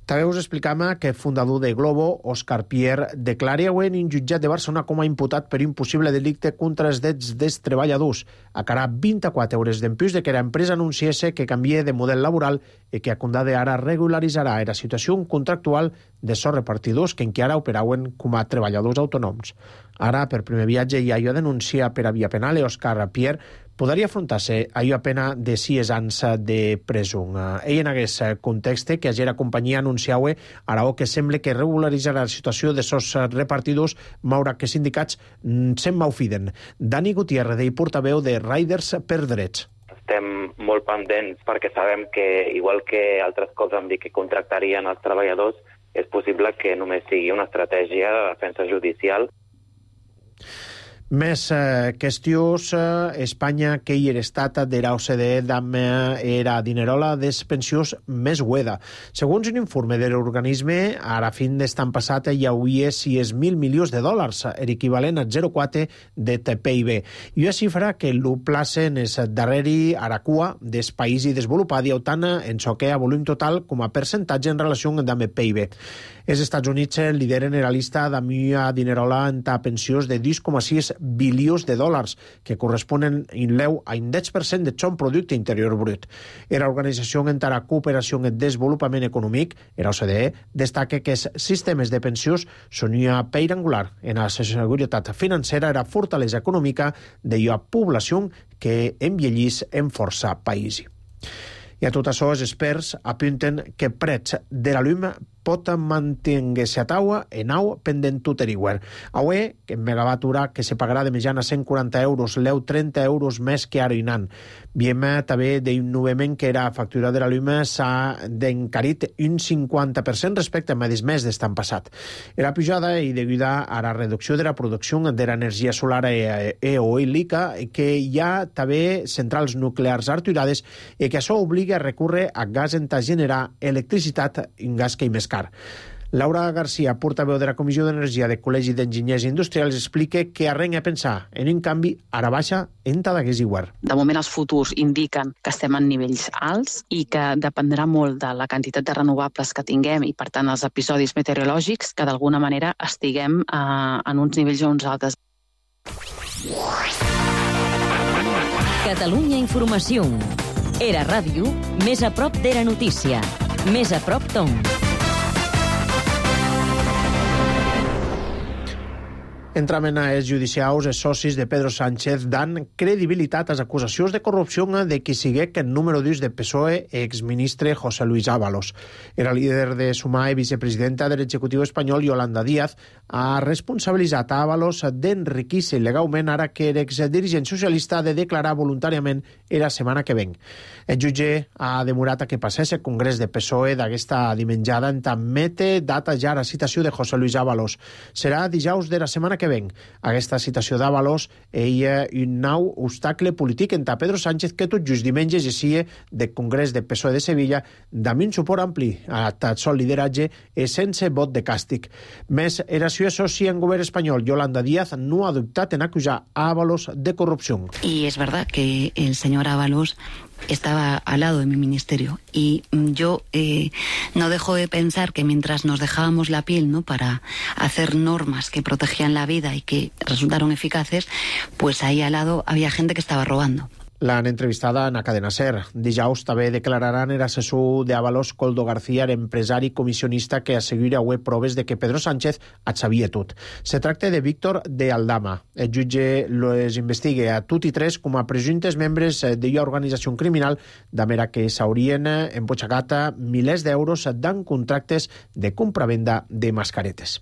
També us explicam que el fundador de Glovo, Òscar Pierre, declara avui en un jutjat de Barcelona com a imputat per un possible delicte contra els drets dels treballadors. A cara 24 hores d'empús de que l'empresa anunciés que canvia de model laboral i que a condada ara regularitzarà la situació contractual de sos repartidors que encara operaven com a treballadors autònoms. Ara, per primer viatge, hi ha allò denuncia per a via penal i Òscar Pierre podria afrontar-se allò a pena de 6 anys de presó. Ell en aquest context que ayer la companyia anunciava ara que sembla que regularitzarà la situació de sos repartidors, malgrat que sindicats se'n malfiden. Dani Gutiérrez, portaveu de Riders per Drets. Estem molt pendents perquè sabem que, igual que altres cops vam dir que contractarien els treballadors, és possible que només sigui una estratègia de defensa judicial. Més qüestions. Espanya, que hi era estat de l'OCDE, era dinerola des pensions més hueda. Segons un informe de l'organisme, a la fin d'estan passat hi hauria 6.000 milions de dòlars, equivalent a 0,4 de PIB. I una xifra que lo placen és darrere a la cua dels països desenvolupats i tant en so que a volum total com a percentatge en relació amb el PIB. Els Estats Units lideren la llista d'amia dinerola en pensions de 10,6 bilions de dòlars, que corresponen en leu a un 10% de son producte interior brut. La Organització en la Cooperació i Desenvolupament Econòmic, la OCDE, destaca que els sistemes de pensions són una peira angular en la seguretat financera i la fortalesa econòmica de la població que envellís en força països. I a tot això, els experts apunten que preig de la llum pot mantenir-se a taua en au pendent tuteriwer. Avui, que en megawatt-hora que se pagarà de mitjana 140 euros, leu 30 euros més que ara inant. Viem també d'un novament que la factura de la llum s'ha encarit un 50% respecte a mes d'estan passat. La pujada i deguda a la reducció de la producció de l'energia solar eòlica, que hi ha també centrals nuclears aturades i que això obliga a recórrer a gas en generar electricitat, un gas que hi més car. Laura García, portaveu de la Comissió d'Energia del Col·legi d'Enginyers Industrials, explica que arrenya a pensar en un canvi ara baixa en Tadagués i Guer. De moment els futurs indiquen que estem en nivells alts i que dependrà molt de la quantitat de renovables que tinguem i, per tant, els episodis meteorològics, que d'alguna manera estiguem en uns nivells o uns altres. Catalunya Informació. Era ràdio, més a prop de la notícia. Més a prop Tom. Entramen a els judicials, els socis de Pedro Sánchez dan credibilitat a les acusacions de corrupció de qui sigué que el número 2 de PSOE, exministre José Luis Ábalos. Era líder de Sumar i vicepresidenta de l'executiu espanyol, Yolanda Díaz, ha responsabilitzat a Ábalos d'enriquir-se il·legalment ara que l'exdirigent socialista ha de declarar voluntàriament la setmana que ven. El jutge ha demorat a que passés el congrés de PSOE d'aquesta dimenjada en admete data ja la citació de José Luis Ábalos. Serà dijous de la setmana que ven. Aquesta citació d'Ábalos és un nou obstacle polític entre Pedro Sánchez, que tot just diumenge llegia del Congrés del PSOE de Sevilla amb un suport ampli a tot sol lideratge i sense vot de càstig. Més, era su soci en govern espanyol, Yolanda Díaz, no ha dubtat en acusar a Ábalos de corrupció. Y es verdad que el señor Ábalos estaba al lado de mi ministerio y yo no dejo de pensar que mientras nos dejábamos la piel, ¿no?, para hacer normas que protegían la vida y que resultaron eficaces, pues ahí al lado había gente que estaba robando. L'han entrevistada en la cadena SER. Dijous també declararan l'assessor d'Ábalos, Coldo García, empresari comissionista que assegura avui proves de que Pedro Sánchez et sabia tot. Se tracta de Víctor de Aldama. El jutge les investiga a tots i tres com a presumptes membres d'una organització criminal, de manera que s'haurien empotxagat milers d'euros d'en contractes de compra-venda de mascaretes.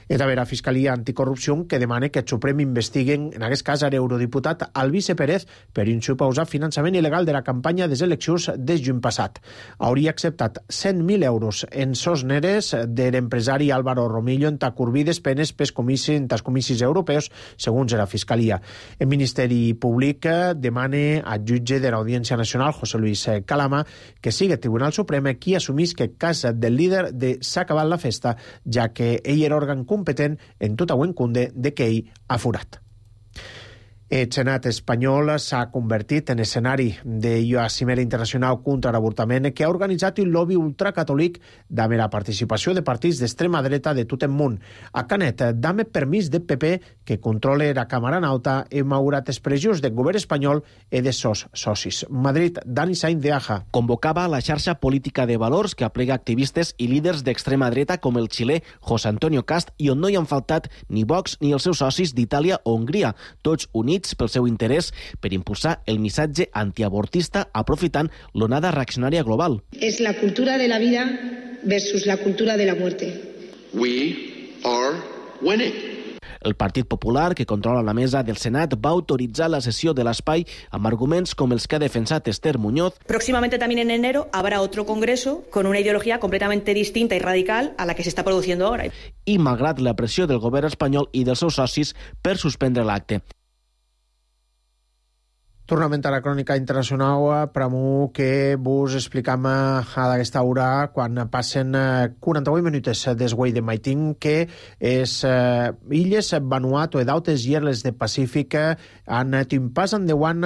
És també la Fiscalia Anticorrupció que demana que el Suprem investiguen, en aquest cas, l'eurodiputat Albice Pérez per un suposat finançament il·legal de la campanya de les eleccions de juny passat. Hauria acceptat 100.000 euros en sos neres de l'empresari Álvaro Romillo en curvides penes pels comicis europeus, segons la Fiscalia. El Ministeri Públic demana al jutge de l'Audiència Nacional, José Luis Calama, que sigui el Tribunal Suprem qui assumís que el cas del líder s'ha acabat la festa, ja que ell era òrgan competent en tota Wenkunde de que ell ha furat. El Senat espanyol s'ha convertit en escenari d'una cimera internacional contra l'avortament que ha organitzat un lobby ultracatòlic amb la participació de partits d'extrema dreta de tot el món. A Canet, dame permís del PP que controle la Càmera Nauta i malgrat expressions del govern espanyol i de sos socis. Madrid, Dani Sainz de Aja. Convocava la xarxa política de valors que aplega activistes i líders d'extrema dreta com el xilè José Antonio Cast i on no hi han faltat ni Vox ni els seus socis d'Itàlia o Hongria, tots units pel seu interès per impulsar el missatge antiavortista aprofitant l'onada reaccionària global. És la cultura de la vida versus la cultura de la muerte. We are winning. El Partit Popular, que controla la mesa del Senat, va autoritzar la sessió de l'espai amb arguments com els que ha defensat Esther Muñoz. Próximamente también en enero habrá otro congreso con una ideología completamente distinta y radical a la que se está produciendo ahora. I malgrat la pressió del govern espanyol i dels seus socis per suspendre l'acte. Tornem a la crònica internacional, pramo que vos explicam a aquesta hora quan passen 48 minuts desguai de Maitín que les illes Vanuatu i d'altres illes del Pacífic han tingut un pas endavant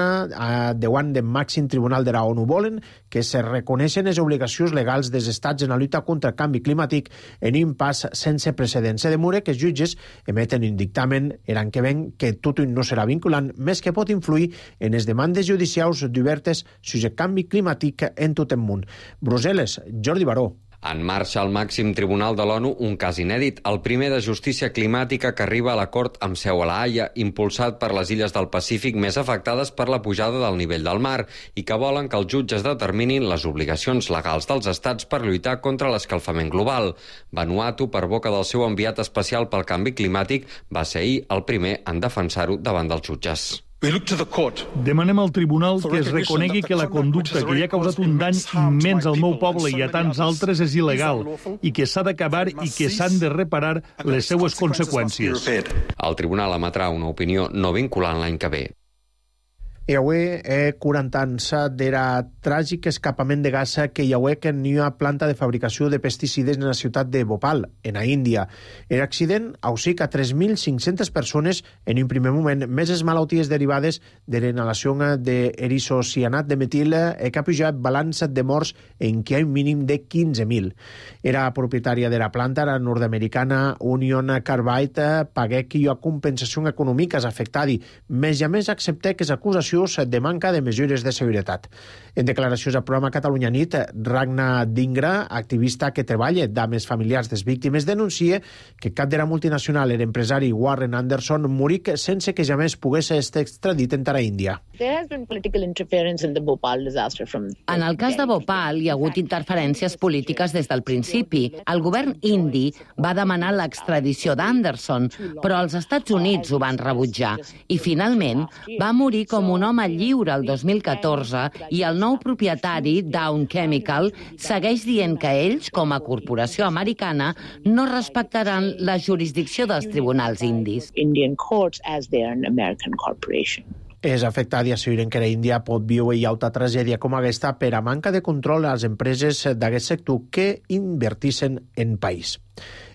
del màxim tribunal de la ONU. Volen que se reconeixen les obligacions legals dels estats en la lluita contra el canvi climàtic en un pas sense precedents. Se demora que els jutges emeten un dictamen l'any que ven que tot no serà vinculant, més que pot influir en les demandes judicials obertes sobre el canvi climàtic en tot el món. Brussel·les, Jordi Baró. En marxa al màxim tribunal de l'ONU un cas inèdit, el primer de justícia climàtica que arriba a l'acord amb seu a la Haia, impulsat per les illes del Pacífic més afectades per la pujada del nivell del mar i que volen que els jutges determinin les obligacions legals dels estats per lluitar contra l'escalfament global. Vanuatu, per boca del seu enviat especial pel canvi climàtic, va ser ahir el primer en defensar-ho davant dels jutges. Demanem al tribunal que es reconegui que la conducta que li ha causat un dany immens al meu poble i a tants altres és il·legal i que s'ha d'acabar i que s'han de reparar les seues conseqüències. El tribunal emetrà una opinió no vinculant l'any que ve. I avui 40 anys d'era tràgic escapament de gas que hi ha en una planta de fabricació de pesticides en la ciutat de Bhopal, en la Índia. L'accident ausica 3.500 persones en un primer moment, més les malalties derivades de la inhalació d'erisocianat de metil que ha pujat balanç de morts en què hi ha un mínim de 15.000. Era propietària de la planta, la nord-americana Union Carbide, pagué que hi ha compensació econòmica afectada, més i a més accepté que s'acusació de manca de mesures de seguretat. En declaracions al programa Catalunya Nit, Ragna Dingra, activista que treballa amb els familiars de les víctimes, denuncia que cap de la multinacional, l'empresari Warren Anderson, moric sense que jamais pogués ser extradit en terra índia. En el cas de Bhopal hi ha hagut interferències polítiques des del principi. El govern indi va demanar l'extradició d'Anderson, però els Estats Units ho van rebutjar i finalment va morir com un home lliure el 2014 i el nou propietari, Dow Chemical, segueix dient que ells, com a corporació americana, no respectaran la jurisdicció dels tribunals indis. És afectat i asseguren que la Índia pot viure i altra tragèdia com aquesta per a manca de control a les empreses d'aquest sector que invertissin en país.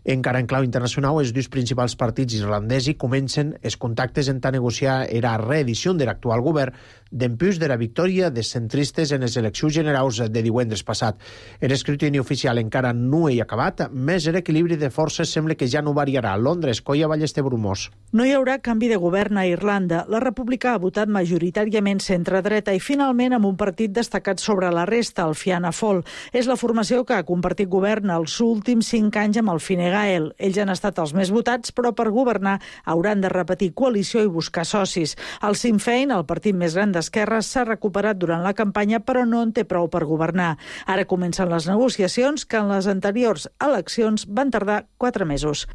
Encara en clau internacional, els dos principals partits irlandesos comencen els contactes en negociar la reedició de l'actual govern d'empús de la victòria dels centristes en les eleccions generals de divendres passat. L'escrutini oficial encara no hi ha acabat, més l'equilibri de forces sembla que ja no variarà. Londres, Coia Ballester Brumós. No hi haurà canvi de govern a Irlanda. La República ha votat majoritàriament centre-dreta i finalment amb un partit destacat sobre la resta, el Fianna Fáil. És la formació que ha compartit govern els últims 5 anys amb el Fine Gael. Ells han estat els més votats, però per governar hauran de repetir coalició i buscar socis. El Sinn Féin, el partit més gran d'esquerres, s'ha recuperat durant la campanya, però no en té prou per governar. Ara comencen les negociacions que en les anteriors eleccions van tardar 4 mesos.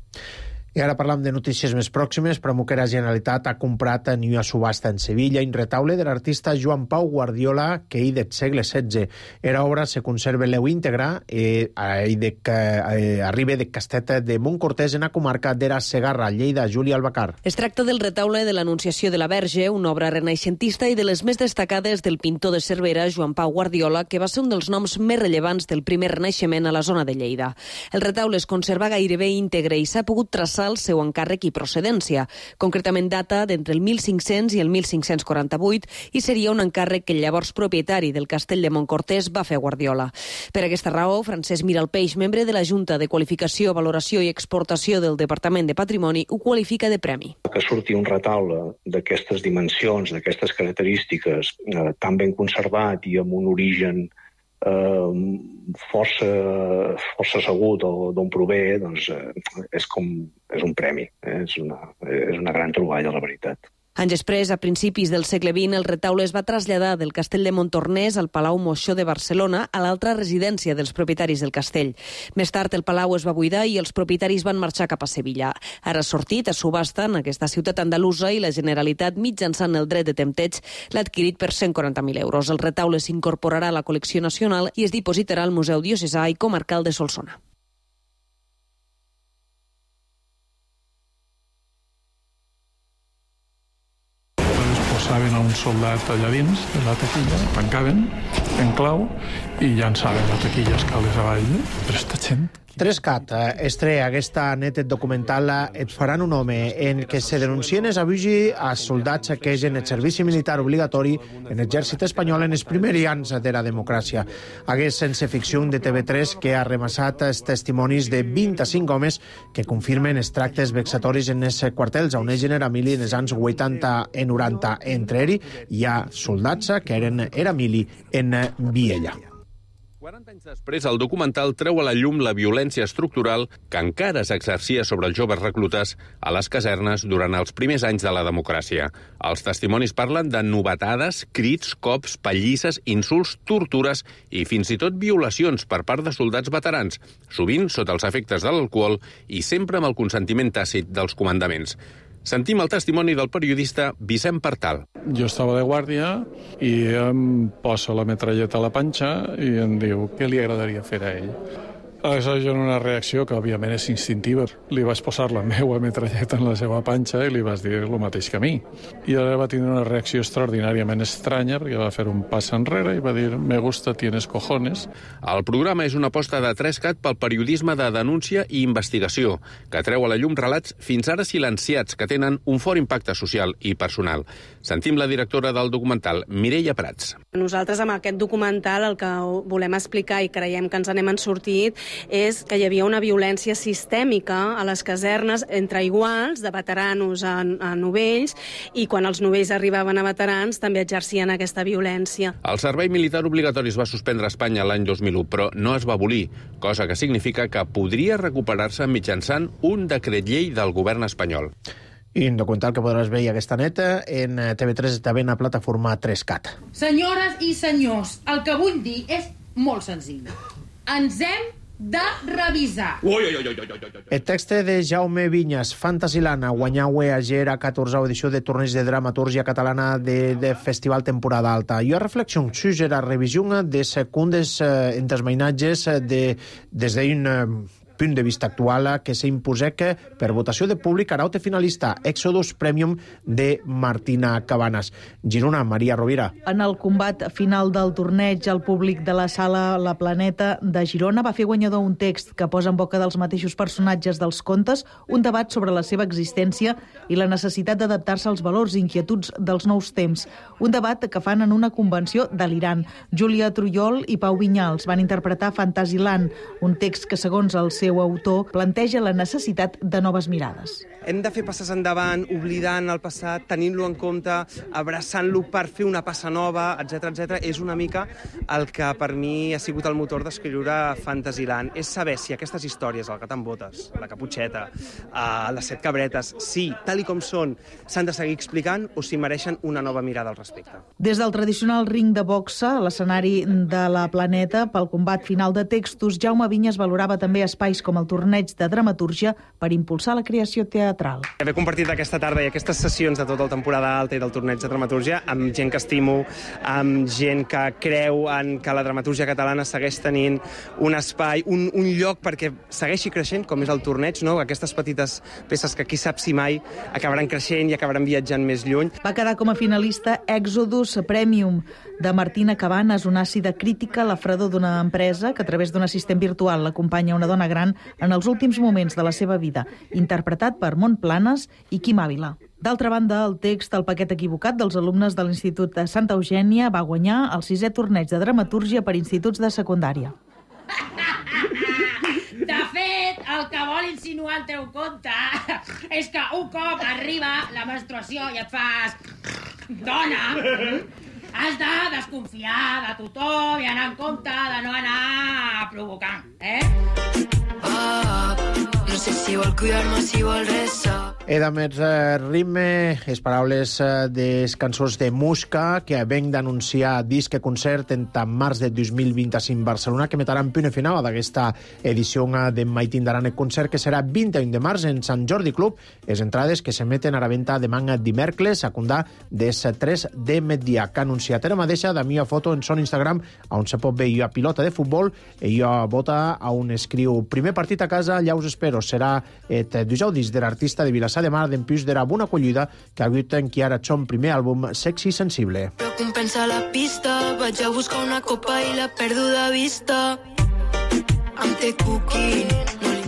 I ara parlam de notícies més pròximes, però la Generalitat ha comprat en una subhasta en Sevilla un retaule de l'artista Joan Pau Guardiola que hi del segle XVI. Era obra se conserva l'eu íntegra i arriba de Castet de Montcortès en la comarca d'Era Segarra, Lleida. Júlia Albacar. Es tracta del retaule de l'Anunciació de la Verge, una obra renaixentista i de les més destacades del pintor de Cervera, Joan Pau Guardiola, que va ser un dels noms més rellevants del primer renaixement a la zona de Lleida. El retaule es conserva gairebé íntegre i s'ha pogut traçar el seu encàrrec i procedència. Concretament data d'entre el 1500 i el 1548 i seria un encàrrec que el llavors propietari del castell de Montcortès va fer a Guardiola. Per aquesta raó, Francesc Miralpeix, membre de la Junta de Qualificació, Valoració i Exportació del Departament de Patrimoni, ho qualifica de premi. Que surti un retaule d'aquestes dimensions, d'aquestes característiques, tan ben conservat i amb un origen força segur d'on prové, doncs és un premi, és una gran troballa, la veritat. Anys després, a principis del segle XX, el retaule es va traslladar del castell de Montornès al Palau Moixó de Barcelona, a l'altra residència dels propietaris del castell. Més tard, el palau es va buidar i els propietaris van marxar cap a Sevilla. Ara ha sortit a subhasta en aquesta ciutat andalusa i la Generalitat, mitjançant el dret de tempteig, l'ha adquirit per 140.000 euros. El retaule s'incorporarà a la col·lecció nacional i es dipositarà al Museu Diocesà i Comarcal de Solsona. posaven a un soldat allà dins de la taquilla, tancaven en clau i llançaven la taquilla escales avall. Però esta gent... 3CAT estrella aquesta net documental Et faran un home, en què se denuncien els abusos als soldats que hagin el servici militar obligatori en l'exèrcit espanyol en els primers anys de la democràcia. Hagués sense ficció de TV3 que ha remassat els testimonis de 25 homes que confirmen els tractes vexatoris en els quartels on ells era mili en els anys 80 i 90. Entre ells hi ha soldats que era mili en Viella. 40 anys després, el documental treu a la llum la violència estructural que encara s'exercia sobre els joves reclutes a les casernes durant els primers anys de la democràcia. Els testimonis parlen de novetades, crits, cops, pallisses, insults, tortures i fins i tot violacions per part de soldats veterans, sovint sota els efectes de l'alcohol i sempre amb el consentiment tàcit dels comandaments. Sentim el testimoni del periodista Vicent Partal. Jo estava de guàrdia i em posa la metralleta a la panxa i em diu què li agradaria fer a ell. Aleshores, jo en una reacció que òbviament és instintiva, li vaig posar la meva metralleta en la seva panxa i li vaig dir el mateix que a mi. I ara va tindre una reacció extraordinàriament estranya perquè va fer un pas enrere i va dir me gusta, tienes cojones. El programa és una aposta de 3CAT pel periodisme de denúncia i investigació, que treu a la llum relats fins ara silenciats que tenen un fort impacte social i personal. Sentim la directora del documental, Mireia Prats. Nosaltres amb aquest documental el que volem explicar i creiem que ens n'hem sortit és que hi havia una violència sistèmica a les casernes entre iguals, de veteranos a novells, i quan els novells arribaven a veterans també exercien aquesta violència. El servei militar obligatori es va suspendre a Espanya l'any 2001, però no es va abolir, cosa que significa que podria recuperar-se mitjançant un decret llei del govern espanyol. I un documental que podràs veure aquesta neta en TV3 també en la plataforma 3CAT. Senyores i senyors, el que vull dir és molt senzill. Ens hem de revisar. El text de Jaume Vinyas, Fantasyland, guanyau ayer a 14a edició de torneig de dramatúrgia catalana de Festival Temporada Alta. I a reflexió sobre la revisió de secundes entesmainatges des d'un punt de vista actual que s'imposec per votació de públic araute finalista Exodus Premium de Martina Cabanas. Girona, Maria Rovira. En el combat final del torneig, el públic de la sala La Planeta de Girona va fer guanyador un text que posa en boca dels mateixos personatges dels contes un debat sobre la seva existència i la necessitat d'adaptar-se als valors i inquietuds dels nous temps. Un debat que fan en una convenció delirant. Júlia Trullol i Pau Vinyals van interpretar Fantasyland, un text que, segons el seu autor, planteja la necessitat de noves mirades. Hem de fer passes endavant, oblidant el passat, tenint-lo en compte, abraçant-lo per fer una passa nova, etc. És una mica el que per mi ha sigut el motor d'escriure Fantasyland. És saber si aquestes històries, el gat amb botes, la caputxeta, les 7 cabretes, si, tal i com són, s'han de seguir explicant o si mereixen una nova mirada al respecte. Des del tradicional ring de boxa, a l'escenari de La Planeta, pel combat final de textos, Jaume Vinyas valorava també espais com el torneig de dramatúrgia per impulsar la creació teatral. Haver compartit aquesta tarda i aquestes sessions de tota la temporada alta i del torneig de dramatúrgia amb gent que estimo, amb gent que creu en que la dramatúrgia catalana segueix tenint un espai, un lloc perquè segueixi creixent, com és el torneig, no? Aquestes petites peces que qui sap si mai acabaran creixent i acabaran viatjant més lluny. Va quedar com a finalista Exodus Premium de Martina Cabanas, una àcida crítica a la fredor d'una empresa que a través d'un assistent virtual l'acompanya una dona gran en els últims moments de la seva vida, interpretat per Mont Planes i Quim Ávila. D'altra banda, el text El paquet equivocat dels alumnes de l'Institut de Santa Eugènia va guanyar el 6è torneig de dramatúrgia per instituts de secundària. De fet, el que vol insinuar el teu conte és que un cop arriba la menstruació i et fas dona, has de desconfiar de tothom i anar en compte de no anar provocant, No sé si vol cuidar-me, si vol rezar. Era més ritme, les paraules des cançons de Musca, que venc d'anunciar disc concert en març de 2025 Barcelona, que metaran punt final d'aquesta edició de Mai tindran el concert, que serà 21 de març en Sant Jordi Club. Les entrades que s'emeten a la venda demà dimecres, a comptar des 3 de migdia, que ha anunciat era mateixa de meva foto en son Instagram, on se pot veure pilota de futbol, i jo vota on escriu primer partit a casa, allà us espero. serà et dijous de l'artista de Vilassar de Mar d'empús d'era bona acollida que ha hagut en qui ara son primer àlbum Sexy Sensible. Però compensa la pista, vaig a buscar una copa i la perdo de vista. Amb te cooking.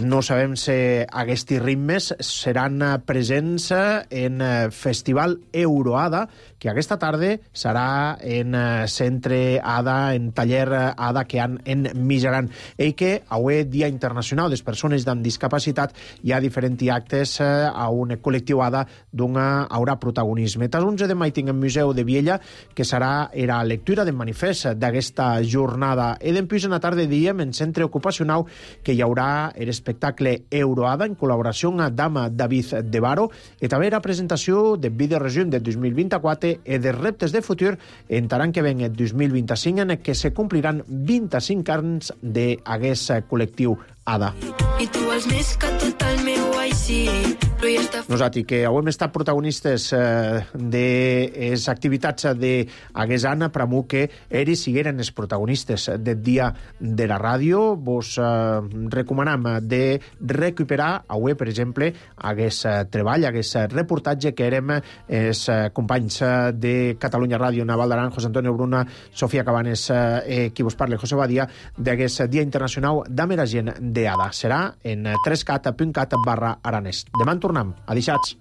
No sabem si aquests ritmes seran presents en Festival Euroada, que aquesta tarda serà en Centre Ada, en Taller Ada, que han en Mijaran. I que avui, Dia Internacional de les Persones amb Discapacitat, hi ha diferents actes a un col·lectiu Ada d'on haurà protagonisme. Tas 11 de maig tinc en Museu de Viella, que serà la lectura del manifest d'aquesta jornada. I d'empús en la tarda diem en Centre Ocupacional que hi haurà l'espectacle Euroada en col·laboració amb David de Baro i també la presentació de Vídeo Regió de 2024 i de reptes de futur en l'any que ven el 2025 en què se compliran 25 anys d'aquest col·lectiu Ada. I tu vols més que tot el meu així, però ja està... Nosaltres, que avui hem estat protagonistes de les activitats d'aquest any, per a que ells sigueren els protagonistes del dia de la ràdio. Vos recomanem de recuperar avui, per exemple, aquest treball, aquest reportatge que érem els companys de Catalunya Ràdio, Naval d'Aran, José Antonio Bruna, Sofia Cabanes, qui vos parla, José Badia, d'aquest Dia Internacional d'Ameragent d'Ada. Serà en 3cat.cat/aranès. Demà en tornem. Adixats.